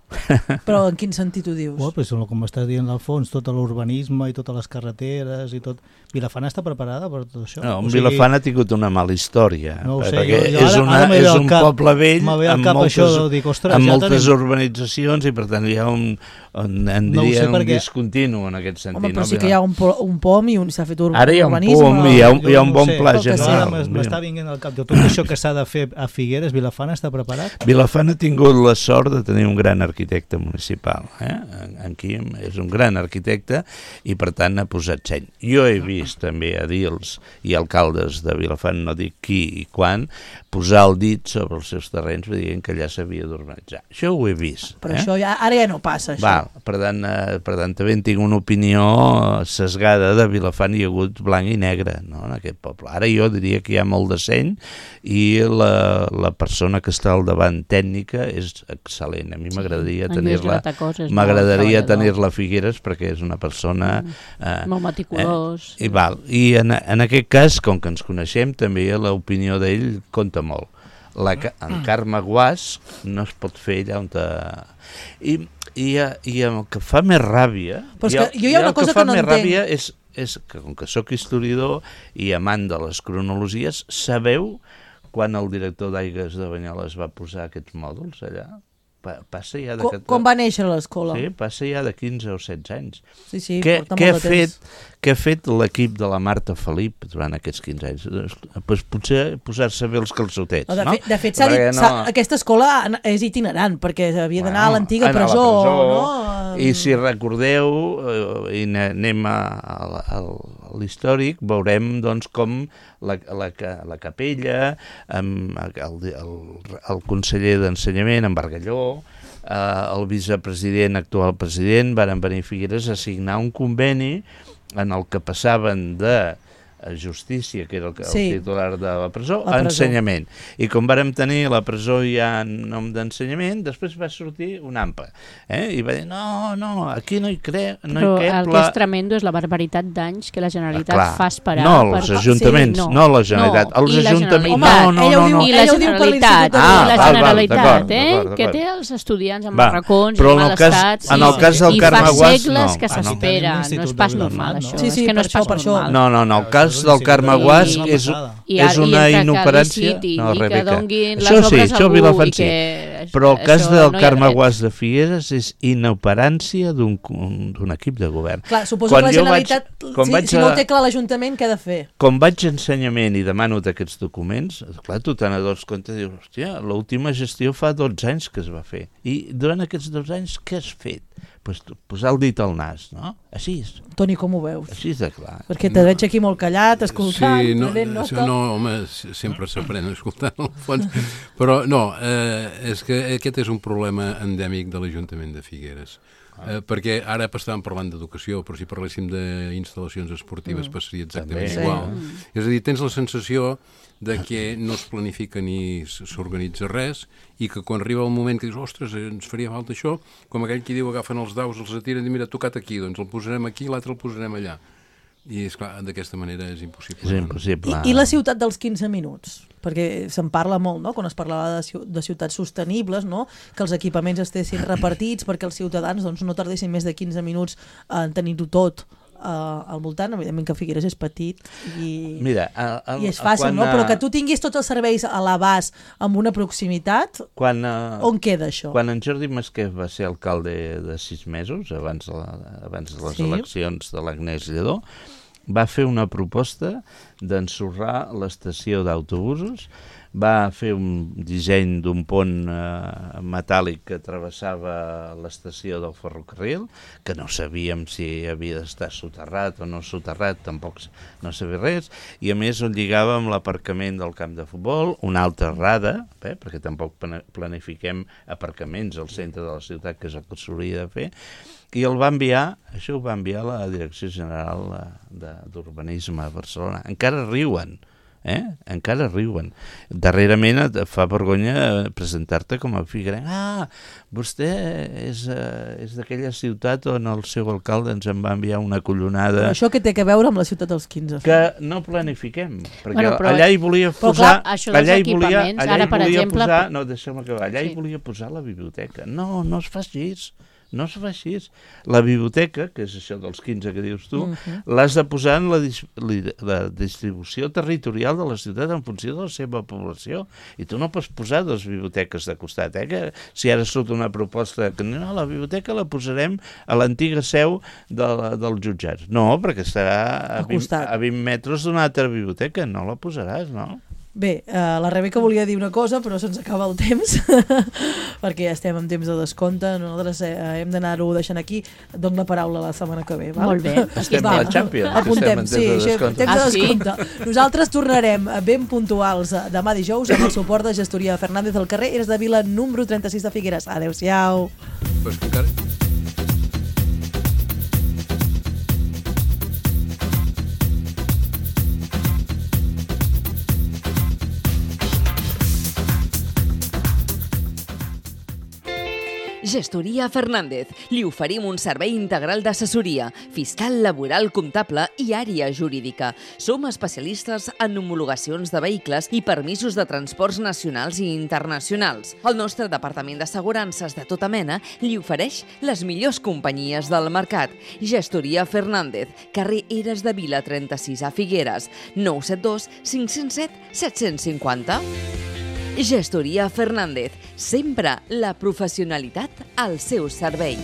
Però en quin sentit ho dius? Oh, pues, com està dient l'Alfons, tot l'urbanisme i totes les carreteres i tot... Vilafant està preparada per tot això? No, o sigui... Vilafant ha tingut una mala història, no sé, perquè jo, jo, és, una, ara, ara és un cap, poble vell amb cap moltes, això, dic, ostres, amb ja moltes tenim... urbanitzacions i per tant hi ha un, un, en no diria, un perquè... discontinu en aquest sentit. Home, però no? sí que hi ha un, po un pom i s'ha fet urbanisme. Ara hi ha un pom i hi ha un, hi ha un bon no sé, pla general. M'està vinguent al cap de tot això que s'ha de fer a Figueres. Vilafant està preparat? Vilafant ha tingut la sort de tenir un gran arquitecte municipal. Eh? En, en Quim és un gran arquitecte i per tant ha posat seny. Jo he vist també edils i alcaldes de Vilafant, no dic qui i quan, posar el dit sobre els seus terrenys dient que allà s'havia d'urbanitzar. Això ho he vist. Però eh? això ja, ara ja no passa, això. Val, per tant, eh, per tant, també tinc una opinió sesgada de Vilafant, hi ha hagut blanc i negre, no, en aquest poble. Ara jo diria que hi ha molt de seny i la, la persona que està al davant tècnica és excel·lent. A mi m'agradaria sí, tenir-la m'agradaria tenir-la a Figueres perquè és una persona... Eh, molt meticulós. Eh, i val. I en, en aquest cas, com que ens coneixem, també l'opinió d'ell compta molt. La, en Carme Guàs no es pot fer allà on... Te... I, i, I el que fa més ràbia... Però és que jo hi ha una cosa que, que no entenc. Ràbia és, és que, com que sóc historiador i amant de les cronologies, sabeu quan el director d'Aigües de Banyoles va posar aquests mòduls allà? Pa, passa ja de... Com, com va néixer l'escola? Sí, passa ja de quinze o setze anys. Sí, sí, què, porta què molt de fet, temps. Què ha fet l'equip de la Marta Felip durant aquests quinze anys? Pues potser posar-se bé els calçotets, no? De no? fet, de fet dit, no... aquesta escola és itinerant, perquè havia d'anar bueno, a l'antiga presó, presó, no? I si recordeu, eh, i anem a, a, a l'històric, veurem doncs, com la, la, la capella, amb el, el, el conseller d'Ensenyament, en Bargalló, eh, el vicepresident, actual president, varen venir a Figueres a signar un conveni en el que passaven de Justícia, que era el, el Sí. titular de la presó, La presó. ensenyament. I com vàrem tenir la presó ja en nom d'ensenyament, després va sortir un AMPA. Eh? I va dir, no, no, aquí no hi, cre... no Però hi el cap que la... és tremendo és la barbaritat d'anys que la Generalitat Clar. fa esperar. No, per... els ajuntaments, Sí, no la Generalitat. No, Els i la ajuntaments, Generalitat. no, no, ella ho no, diu- no. I la ella ho diu per Generalitat, l'Institut de Ah, i la val, val, Generalitat, d'acord, eh? d'acord, que d'acord. té els estudiants amb Va, barracons però i en el mal cas- estat. en el cas del I Carme fa Guas, segles no. que Ah, no. s'espera. Tenim No és l'Institut pas de normal, Vilanova, això. no? Sí, sí, és que no per és pas això, per això. normal. No, no, no, el cas del Carme I- Guas no és, passada. I, és i una entre inoperància. que liciti No, i que Rebeca. donguin les Això sí, obres això a algú Vilafant i sí. que... Però el cas això del no hi ha Carme dret. Guas de Figueres és inoperància d'un d'un equip de govern. Clar, suposo Quan que la jo vaig- Generalitat, quan si, vaig si no a- ho té clar l'Ajuntament, què ha de fer? Com vaig a ensenyament i demano aquests documents, clar, tu te n'adones compte i dius, hòstia, l'última gestió fa dotze anys que es va fer. I durant aquests dotze anys què has fet? Pues, posar el dit al nas, no? Així és, Toni, com ho veus? així és de clar. Perquè te veig aquí molt callat, escoltant, Sí, no, prenent sí, nota. no, home, s- sempre s'aprèn escoltant al fons. Però no, eh, és que aquest és un problema endèmic de l'Ajuntament de Figueres. Eh, perquè ara estàvem parlant d'educació, però si parléssim d'instal·lacions esportives mm. passaria exactament També. igual. És a dir, tens la sensació de que no es planifica ni s- s'organitza res i que quan arriba el moment que dius, ostres, ens faria falta això, com aquell qui diu agafen els daus, els atiren i mira, tocat aquí, doncs el posarem aquí, l'altre el posarem allà. I és clar, d'aquesta manera és impossible. És impossible. I, I la ciutat dels quinze minuts? Perquè se'n parla molt, no?, quan es parlava de, ciu- de ciutats sostenibles, no?, que els equipaments estessin repartits perquè els ciutadans doncs, no tardessin més de quinze minuts en tenir-ho tot uh, al voltant. Evidentment que Figueres és petit i, Mira, el, el, i és fàcil, quan, no? Però eh, que tu tinguis tots els serveis a l'abast amb una proximitat, Quan, uh, on queda això? Quan en Jordi Masquef va ser alcalde de sis mesos, abans de, la, abans de les Sí. eleccions de l'Agnès Lledó, va fer una proposta d'ensorrar l'estació d'autobusos, va fer un disseny d'un pont eh, metàl·lic que travessava l'estació del ferrocarril, que no sabíem si havia d'estar soterrat o no soterrat, tampoc no sabia res, i a més ho lligava amb l'aparcament del camp de futbol, una altra rada, eh, perquè tampoc planifiquem aparcaments al centre de la ciutat, que és el que s'hauria de fer, i el va enviar, això ho va enviar a la Direcció General d'Urbanisme a Barcelona. Encara riuen, eh? Encara riuen. Darrerament et fa vergonya presentar-te com a figuerenc. Ah, vostè és, uh, és d'aquella ciutat on el seu alcalde ens en va enviar una collonada... Però això què té a veure amb la ciutat dels quinze? Que no planifiquem, perquè Bueno, però- allà hi volia però posar... clar, això dels allà hi volia, equipaments, allà ara, hi per volia exemple- posar, no, deixa'm acabar, allà Sí. hi volia posar la biblioteca. No, no es fa així. No es fa així. La biblioteca, que és això dels quinze que dius tu, Mhm. l'has de posar en la, dis li- la distribució territorial de la ciutat en funció de la seva població. I tu no pots posar dues biblioteques de costat, eh? Que si ara surt una proposta que no, la biblioteca la posarem a l'antiga seu de la, dels jutjats. No, perquè estarà a, Al vint, costat. a vint metres d'una altra biblioteca. No la posaràs, no? Bé, uh, la Rebeca volia dir una cosa, però se'ns acaba el temps, perquè estem en temps de descompte. Nosaltres eh, hem d'anar-ho deixant aquí. Dono la paraula la setmana que ve. Val? Molt bé. Estem a la Champions, que estem Apuntem, en temps sí, de això, descompte. temps de Ah, sí? descompte. Nosaltres tornarem ben puntuals eh, demà dijous amb el suport de Gestoria Fernández al carrer Eres de Vila, número trenta-sis de Figueres. Adéu-siau. Pues que encara... Gestoria Fernández. Li oferim un servei integral d'assessoria, fiscal, laboral, comptable i àrea jurídica. Som especialistes en homologacions de vehicles i permisos de transports nacionals i internacionals. El nostre departament d'assegurances de tota mena li ofereix les millors companyies del mercat. Gestoria Fernández, carrer Eres de Vila trenta-sis a Figueres, nou set dos cinc zero set set cinquanta. Gestoria Fernández, sempre la professionalitat al seu servei.